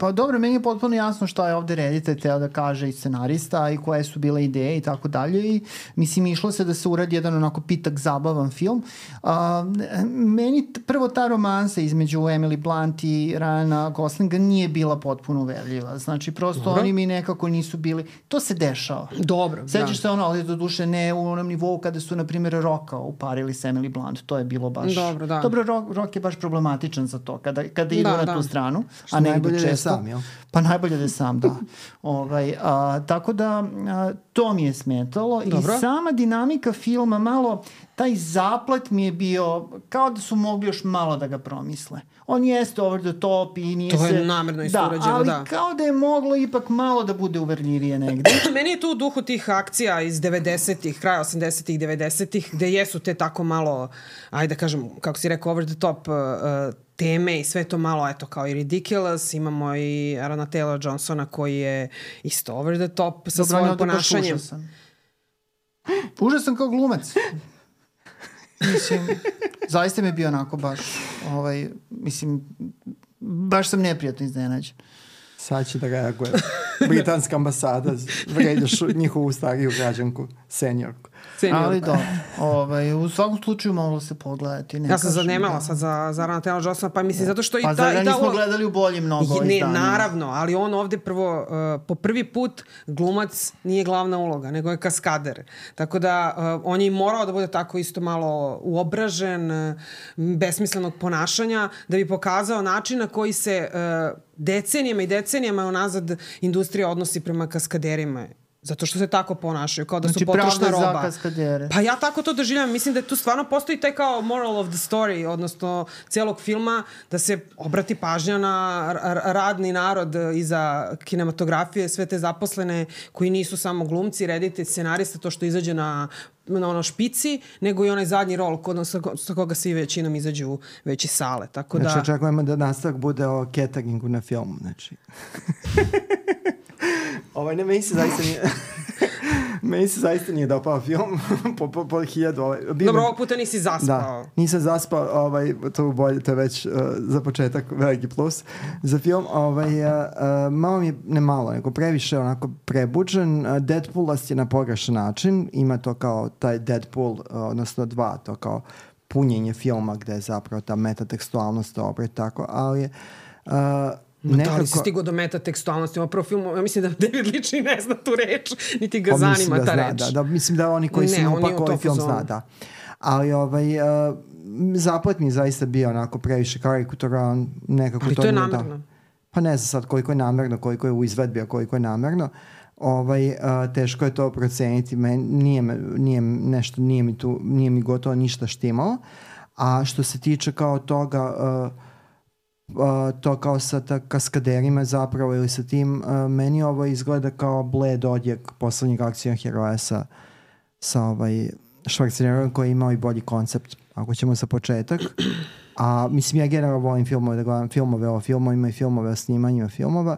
Pa dobro, meni je potpuno jasno šta je ovde reditelj teo da kaže i scenarista i koje su bile ideje i tako dalje i mislim išlo se da se uradi jedan onako pitak zabavan film. A, meni t- prvo ta romansa između Emily Blunt i Ryana Goslinga nije bila potpuno uverljiva. Znači prosto Dobro. oni mi nekako nisu bili, to se dešava. Dobro, Sećaš se ono, ali do duše ne u onom nivou kada su, na primjer, Rocka uparili s Emily Blunt. To je bilo baš... Dobro, da. Dobro, Rock, Rock je baš problematičan za to, kada, kada idu Da, na da. tu stranu, Što a ne idu najbolje da je često. sam, jel? Pa najbolje da je sam, da. ovaj, a, tako da a, to mi je smetalo. Dobro. I sama dinamika filma, malo, taj zaplet mi je bio, kao da su mogli još malo da ga promisle. On jeste over the top i nije To se... je namerno isto da, urađeno, ali da. kao da je moglo ipak malo da bude uverljivije negde. Meni je to u duhu tih akcija iz devedesetih, kraja osamdesetih, devedesetih, gde jesu te tako malo, ajde da kažem, kako si rekao, over the top uh, teme i sve to malo, eto, kao i ridiculous. Imamo i Aarona Taylor Johnsona koji je isto over the top sa Dobro, on je svojim ovde baš ponašanjem. užasan. Užasan kao glumac. Mislim, zaista mi je bio onako baš, ovaj, mislim, baš sam neprijatno iznenađen. Sad će da reaguje. Britanska ambasada vređaš njihovu stariju građanku, seniorku. Senior. Ali dobro, ovaj, u svakom slučaju moglo se pogledati. Ne Ja sam kažem, zanemala da. sad za, za Aarona Taylor Johnsona, pa mislim zato što i Pa ta... zar ga i ta nismo ulo- gledali u boljim mnogo Ne, izdanjima? naravno, ali on ovde prvo, uh, po prvi put glumac nije glavna uloga, nego je kaskader. Tako da uh, on je i morao da bude tako isto malo uobražen, uh, besmislenog ponašanja, da bi pokazao način na koji se uh, decenijama i decenijama unazad industrija odnosi prema kaskaderima. Zato što se tako ponašaju, kao da Znači, su potrošna pravda za roba. kaskadere. Pa ja tako to doživljam. Mislim da tu stvarno postoji taj kao moral of the story, odnosno cijelog filma, da se obrati pažnja na r- radni narod iza kinematografije, sve te zaposlene koji nisu samo glumci, reditelj, scenarista, to što izađe na na ono špici, nego i onaj zadnji rol kod, sa, sa koga svi većinom izađu već iz sale. Tako da... Znači, očekujemo da nastavak bude o cateringu na filmu, znači. Ovaj, ne, meni se zaista nije... meni se zaista nije dopao film po, po, po hiljadu. Ovaj, bio Dobro, mi- ovog puta nisi zaspao. Da, nisam zaspao, ovaj, to, bolje, to je već uh, za početak veliki plus za film. Ovaj, uh, uh, malo mi je, ne malo, nego previše onako prebuđen. Uh, Deadpoolast je na pogrešan način. Ima to kao taj Deadpool, uh, odnosno dva, to kao punjenje filma gde je zapravo ta metatekstualnost dobra i tako, ali je uh, Ma nekako... da li si stigo do metatekstualnosti? Ovo prvo film, ja mislim da David Leitch ni ne zna tu reč, niti ga Pa mislim zanima da ta zna, reč. Da, da, mislim da oni koji Ne, su on mu nije u upak ovaj tom film fazonu. zna, da. Ali ovaj, uh, zaplet mi je zaista bio onako previše karikaturan, nekako Ali to to je nije namerno. Da. Pa ne znam sad koliko je namerno, koliko je u izvedbi, a koliko je namerno. Ovaj, uh, teško je to proceniti. Men, nije, me, nije nešto, nije mi, tu, nije mi gotovo ništa štimalo. A što se tiče kao toga... Uh, Uh, to kao sa ta kaskaderima zapravo ili sa tim, uh, meni ovo izgleda kao bled odjek poslednjeg akcijnog heroja sa, sa ovaj Schwarzeneggerom koji je imao i bolji koncept, ako ćemo sa početak. a mislim ja generalno volim filmove, da gledam filmove o filmovima i filmove o snimanjima filmova,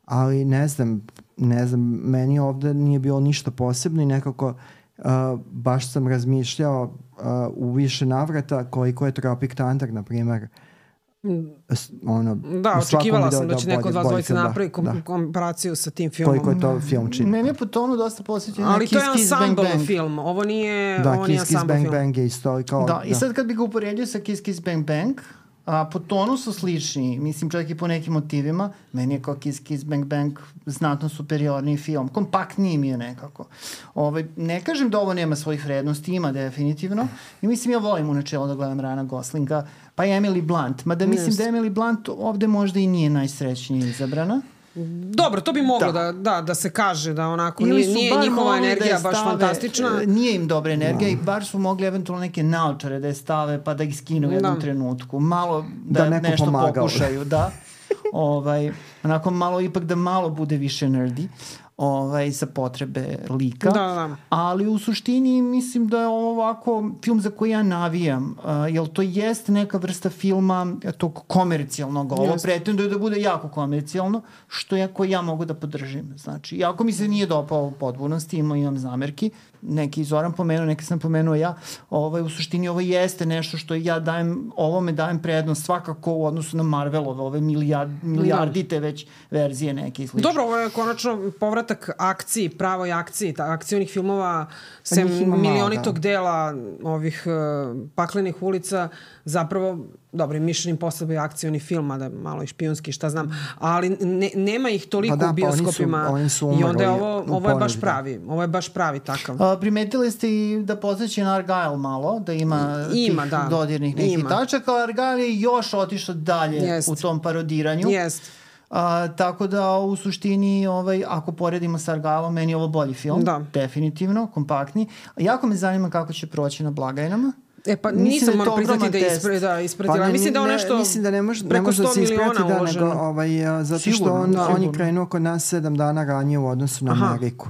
ali ne znam, ne znam, meni ovde nije bilo ništa posebno i nekako uh, baš sam razmišljao uh, u više navrata koliko je Tropic Thunder, na primer, ono, da, očekivala sam da će neko od vas dvojice da, napravi kom, da. komparaciju sa tim filmom. Koliko je to film čini. Meni je po tonu dosta posjećen ali Kiss to je Kiss Bang ensemble Bang film, ovo nije, da, ovo nije Kiss Kiss ensemble Bang film. Bang je isto kao, da, i sad kad bi ga uporedio sa Kiss Kiss Bang Bang, a po tonu su slični, mislim čak i po nekim motivima, meni je kao Kiss Kiss Bang Bang znatno superiorniji film, kompaktniji mi je nekako. Ovaj, ne kažem da ovo nema svojih vrednosti, ima definitivno, i mislim ja volim u načelu da gledam Ryana Goslinga, pa i Emily Blunt, mada mislim yes. da Emily Blunt ovde možda i nije najsrećnije izabrana. Dobro, to bi moglo da, da, da, da se kaže da onako nije, nije njihova energija da baš stave, fantastična. Nije im dobra energija no. i bar su mogli eventualno neke naočare da je stave pa da ih skinu u jednom da. trenutku. Malo da, da nešto pomagao. Pokušaju, da. ovaj, onako malo ipak da malo bude više nerdy. Ovaj, za potrebe lika, da, da. ali u suštini mislim da je ovo ovako film za koji ja navijam, uh, jer to jest neka vrsta filma tog komercijalnog, ovo pretenduje da bude jako komercijalno, što ja, koji ja mogu da podržim. Znači, jako mi se nije dopao u potpunosti, imam, imam zamerki, neki Zoran pomenuo, neki sam pomenuo ja, ovaj, u suštini ovo jeste nešto što ja dajem, ovome dajem prednost svakako u odnosu na Marvelove, ove milijard, milijardite već verzije neke i slično. Dobro, ovo je konačno povratak akciji, pravoj akciji, ta, akcijnih filmova, sem milionitog da. dela ovih uh, paklenih ulica, zapravo, dobro, Mission Impossible je akcijni film, a da malo i špijunski, šta znam, ali ne, nema ih toliko pa da, u bioskopima pa oni su, oni su i onda je ovo, ovo je baš pravi, ovo je baš pravi takav. A, primetili ste i da posjeća na Argyle malo, da ima, ima tih da. dodirnih nekih ima. tačaka, ali Argyle je još otišao dalje Jest. u tom parodiranju. Jest. A, tako da u suštini ovaj, ako poredimo sa Argyleom, meni je ovo bolji film, da. definitivno, kompaktni. Jako me zanima kako će proći na blagajnama. E pa nisam moram priznati da je ispre, da, ispratila. Pa mislim da on nešto mislim da ne može, ne može da se isprati da nego, ovaj, a, zato sigurno, što on, da, on je krenuo kod nas sedam dana ranije u odnosu na Aha. Ameriku.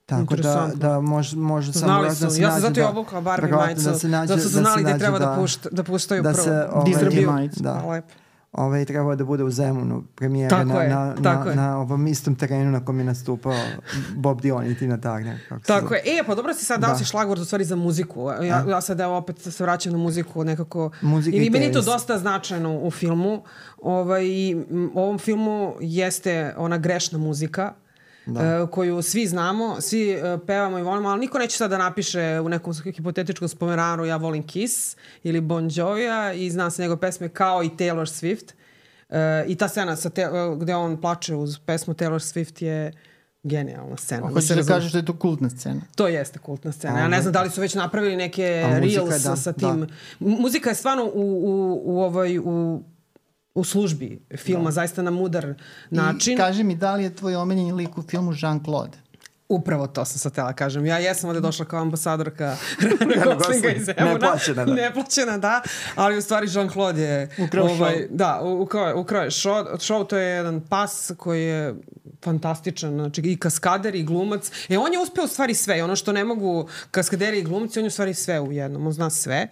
Tako da, da može, može samo da se nađe. Ja sam zato i obukla Barbie majicu, zato su znali da treba da, pušta, da puštaju da prvo. Se, ovaj, distribiju. Da. Lepo. Ovaj trebao da bude u Zemunu premijera na, je, na, na, na ovom istom terenu na kom je nastupao Bob Dylan i Tina Turner. Tako je. E, pa dobro si sad dao da. si šlagvord u stvari za muziku. Ja, ja sad evo opet se vraćam na muziku nekako. Muzika i meni to dosta značajno u filmu. Ovaj, u ovom filmu jeste ona grešna muzika. Da. Uh, koju svi znamo, svi uh, pevamo i volimo, ali niko neće sad da napiše u nekom hipotetičkom spomenanu ja volim Kiss ili Bon Jovija i znam se njegove pesme kao i Taylor Swift. Uh, I ta scena sa te, uh, gde on plače uz pesmu Taylor Swift je genijalna scena. Hoćeš da, da kažeš da je to kultna scena? To jeste kultna scena. Ja ne znam da li su već napravili neke reels da, sa tim. Da. Muzika je stvarno u, u, u, ovaj, u u službi filma, da. zaista na mudar način. I kaži mi, da li je tvoj omiljeni lik u filmu Jean-Claude? Upravo to sam sad tela kažem. Ja jesam ovde došla kao ambasadorka Ryana Goslinga iz Zemuna. Neplaćena, da. Neplaćena, da. Ali u stvari Jean-Claude je ukrao ovaj, show. Da, ukrao, ukrao je show. Show to je jedan pas koji je fantastičan, znači i kaskader i glumac. E, on je uspeo u stvari sve. Ono što ne mogu kaskaderi i glumci, on je u stvari sve u jednom. On zna sve.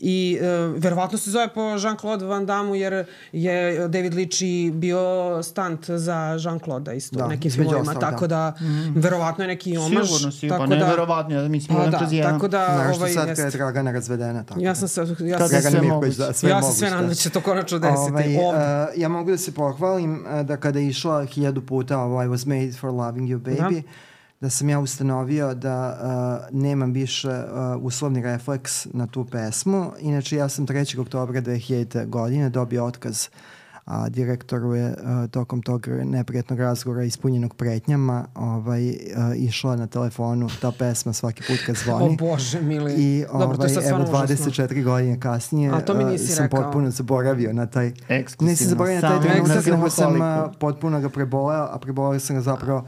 I e, verovatno se zove po Jean-Claude Van Damme jer je David Leitch bio stunt za Jean-Claude isto da, nekim filmovima, tako da, da mm. verovatno je neki omaž. Sigurno si, pa ne da, verovatno, ja mislim pa, da, jedan. Tako da, znaš ovaj, što sad kada je Dragana razvedena, tako ja sam se, ja sam se sve moguće. Da, sve ja sam sve nadam da će to konačno desiti. Ovaj, uh, ja mogu da se pohvalim uh, da kada je išla hiljadu puta ovaj, I was made for loving you baby, da. da sam ja ustanovio da uh, nemam više uh, uslovni refleks na tu pesmu. Inače, ja sam trećeg oktobra dve hiljadite. godine dobio otkaz, a direktoru je uh, tokom tog neprijatnog razgovora ispunjenog pretnjama ovaj, uh, išla na telefonu ta pesma svaki put kad zvoni. O Bože, mili. I ovaj, evo dvadeset četiri godine kasnije uh, sam rekao. potpuno zaboravio na taj... Ekskluzivno. Nisam zaboravio na taj trenutak, nego sam uh, potpuno ga preboleo, a preboleo sam ga zapravo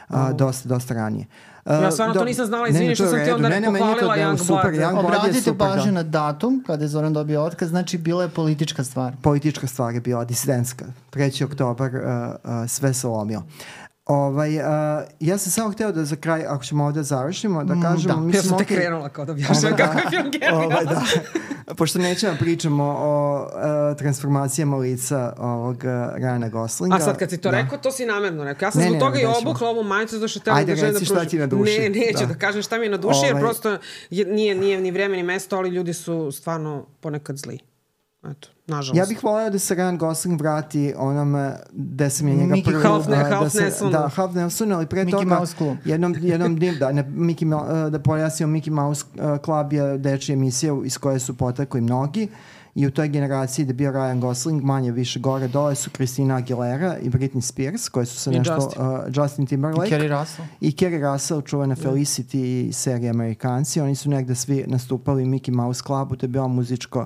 Uh, dosta, dosta ranije. Uh, ja stvarno do, to nisam znala, izvini što sam ti onda ne, pohvalila Young Blood. Young Obratite pažnju na datum kada je Zoran dobio otkaz, znači bila je politička stvar. Politička stvar je bila, disidentska. treći oktobar uh, uh, sve se lomio. Ovaj, uh, ja sam samo hteo da za kraj, ako ćemo ovde završimo, da kažemo... da. Mislim, Ja sam te okej, krenula kao da objašnjam kako je film genijalan. ovaj, da. Pošto nećemo pričamo o uh, transformacijama lica ovog uh, Ryana Goslinga. A sad kad si to da. rekao, to si namerno rekao. Ja sam Ne, zbog ne, toga ne, i nećemo. obukla ovu majicu zato što tela Ajde, da želim da reci šta pružim. ti je na duši. Ne, neću da, Da. kažem kažem šta mi je na duši, jer Ovaj- prosto je, nije, nije ni vreme ni mesto, ali ljudi su stvarno ponekad zli. Eto, nažalost. Ja bih voleo da se Ryan Gosling vrati onome gde sam je njega Mickey prvi... Half Ne- a, da Half se- Nelsonu. Da, Half Nelsonu, ali pre Mickey toga... Mouse Club. Jednom, jednom dim, da, ne, Mickey, Mo- da pojasnimo, Mickey Mouse uh, Club je dečija emisija iz koje su potekli mnogi i u toj generaciji da je bio Ryan Gosling, manje više gore dole su Christina Aguilera i Britney Spears, koje su se I nešto... Justin. Uh, Justin Timberlake. Kerry Russell. I Kerry Russell, čuvena Felicity i serija Amerikanci. Oni su negde svi nastupali u Mickey Mouse Clubu, to je bila muzičko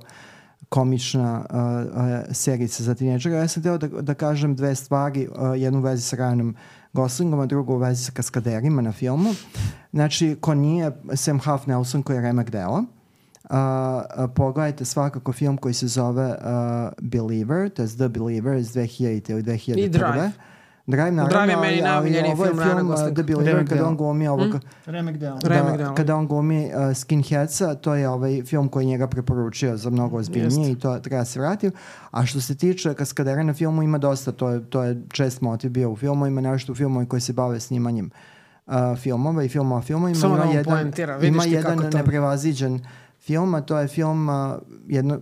komična uh, uh, serica za tineđera. Ja sam htio da, da kažem dve stvari, uh, jednu u vezi sa Ryanom Goslingom, a drugu u vezi sa kaskaderima na filmu. Znači, ko nije Sam Half Nelson koji je remek dela, Uh, uh, pogledajte svakako film koji se zove uh, Believer, to je The Believer iz dve hiljadite ili dve hiljade prve. I Drive. Drive, naravno, Drive je meni ali- ali najomiljeniji ovo je film Ryana film, uh, Goslinga. The Believer, Remek kada dela. on glumi ovog... Remek dela. Remek Da, dela. kada on glumi uh, Skinheadsa, to je ovaj film koji je njega preporučio za mnogo ozbiljnije i to treba se vratiti. A što se tiče kaskadera na filmu, ima dosta, to je, to je čest motiv bio u filmu, ima nešto u filmu koji se bave snimanjem uh, filmova i filmova filmovima. Samo da Ima vam jedan, poentira, vidiš ima ti jedan kako to- neprevaziđen film, a to je film uh, jedno, uh,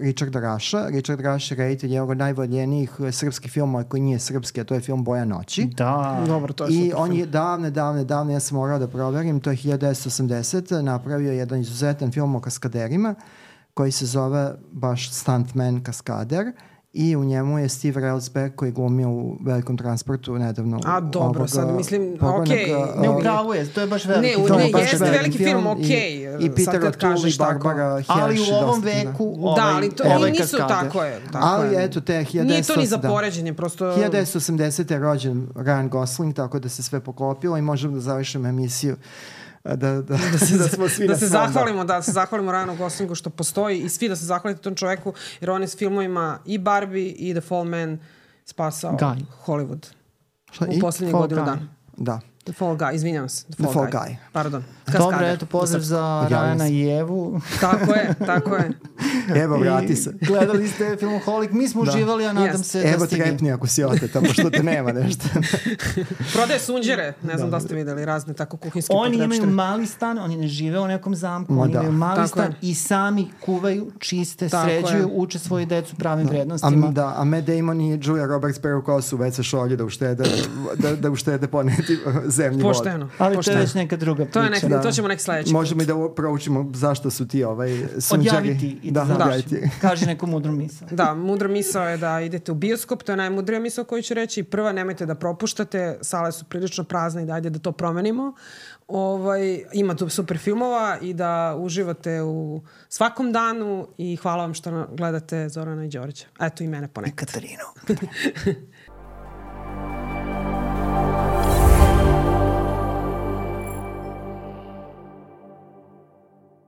Richarda Rasha. Richard Rash je reditelj jednog od najvoljenijih uh, srpskih filmova koji nije srpski, a to je film Boja noći. Da. Dobro, to je I super on film. je davne, davne, davne, ja sam morao da proverim, to je hiljadu devetsto osamdesete napravio jedan izuzetan film o kaskaderima koji se zove baš Stuntman kaskader i u njemu je Steve Railsback koji je glumio u Velikom transportu nedavno. A, dobro, ovog, sad uh, mislim, pokojnog, okej. uh, Ne, uh, upravo je, to je baš veliki. Ne, u- film. ne, baš jeste veliki film, okej, I, sad i Peter kad O'Toole kažeš i tako. Barbara Hersh. Ali u ovom dosta, da. veku Da, ovaj, ali to ovaj i nisu kaskader. tako je. Tako Ali je. eto te hiljadu Nije devetsto to ni za da. poređenje, prosto... hiljadu devetsto osamdesete je rođen Ryan Gosling, tako da se sve poklopilo i možemo da završimo emisiju da, da, da, se, da smo svi da na se svom, zahvalimo, da se zahvalimo Ryanu Goslingu što postoji i svi da se zahvalite tom čoveku, jer on je s filmovima i Barbie i The Fall Man spasao Guy. Hollywood Šta, u i? poslednjih Fall godinu Guy. dana. Da. The Fall Guy, izvinjam se. The The Fall, Fall Guy. Guy. Pardon. Dobro, Kaskader. eto, pozdrav za Javljam Rajana se. i Evu. Tako je, tako je. Evo, vrati I se. Gledali ste Filmoholik, mi smo Da. uživali, a nadam Jest. se da Evo ste vi. trepni ako si oteta, pošto te nema nešto. Prodaje sunđere, ne znam da ste videli, razne tako kuhinske Oni imaju potrepštine. mali stan, oni ne žive u nekom zamku, Ma oni da. imaju mali Tako stan je. i sami kuvaju, čiste, Tako sređuju, je. uče svoju decu pravim A, vrednostima. da, a Matt Damon i Julia Roberts peru kosu već sa šolje da uštede, da, da uštede poneti zemlji vodu. Pošteno. Ali to pošteno. je već neka druga priča. To, je nek, Da. to ćemo neki sledeći. Možemo i da proučimo zašto su ti ovaj sunđari. Odjaviti i da, da, da odjaviti. Kaži neku mudru misao. Da, mudra misao je da idete u bioskop, to je najmudrija misao koju ću reći. Prva, nemojte da propuštate, sale su prilično prazne i da ajde da to promenimo. Ovaj, ima tu super filmova i da uživate u svakom danu i hvala vam što gledate Zorana i Đorića. Eto i mene ponekad. Katarinu.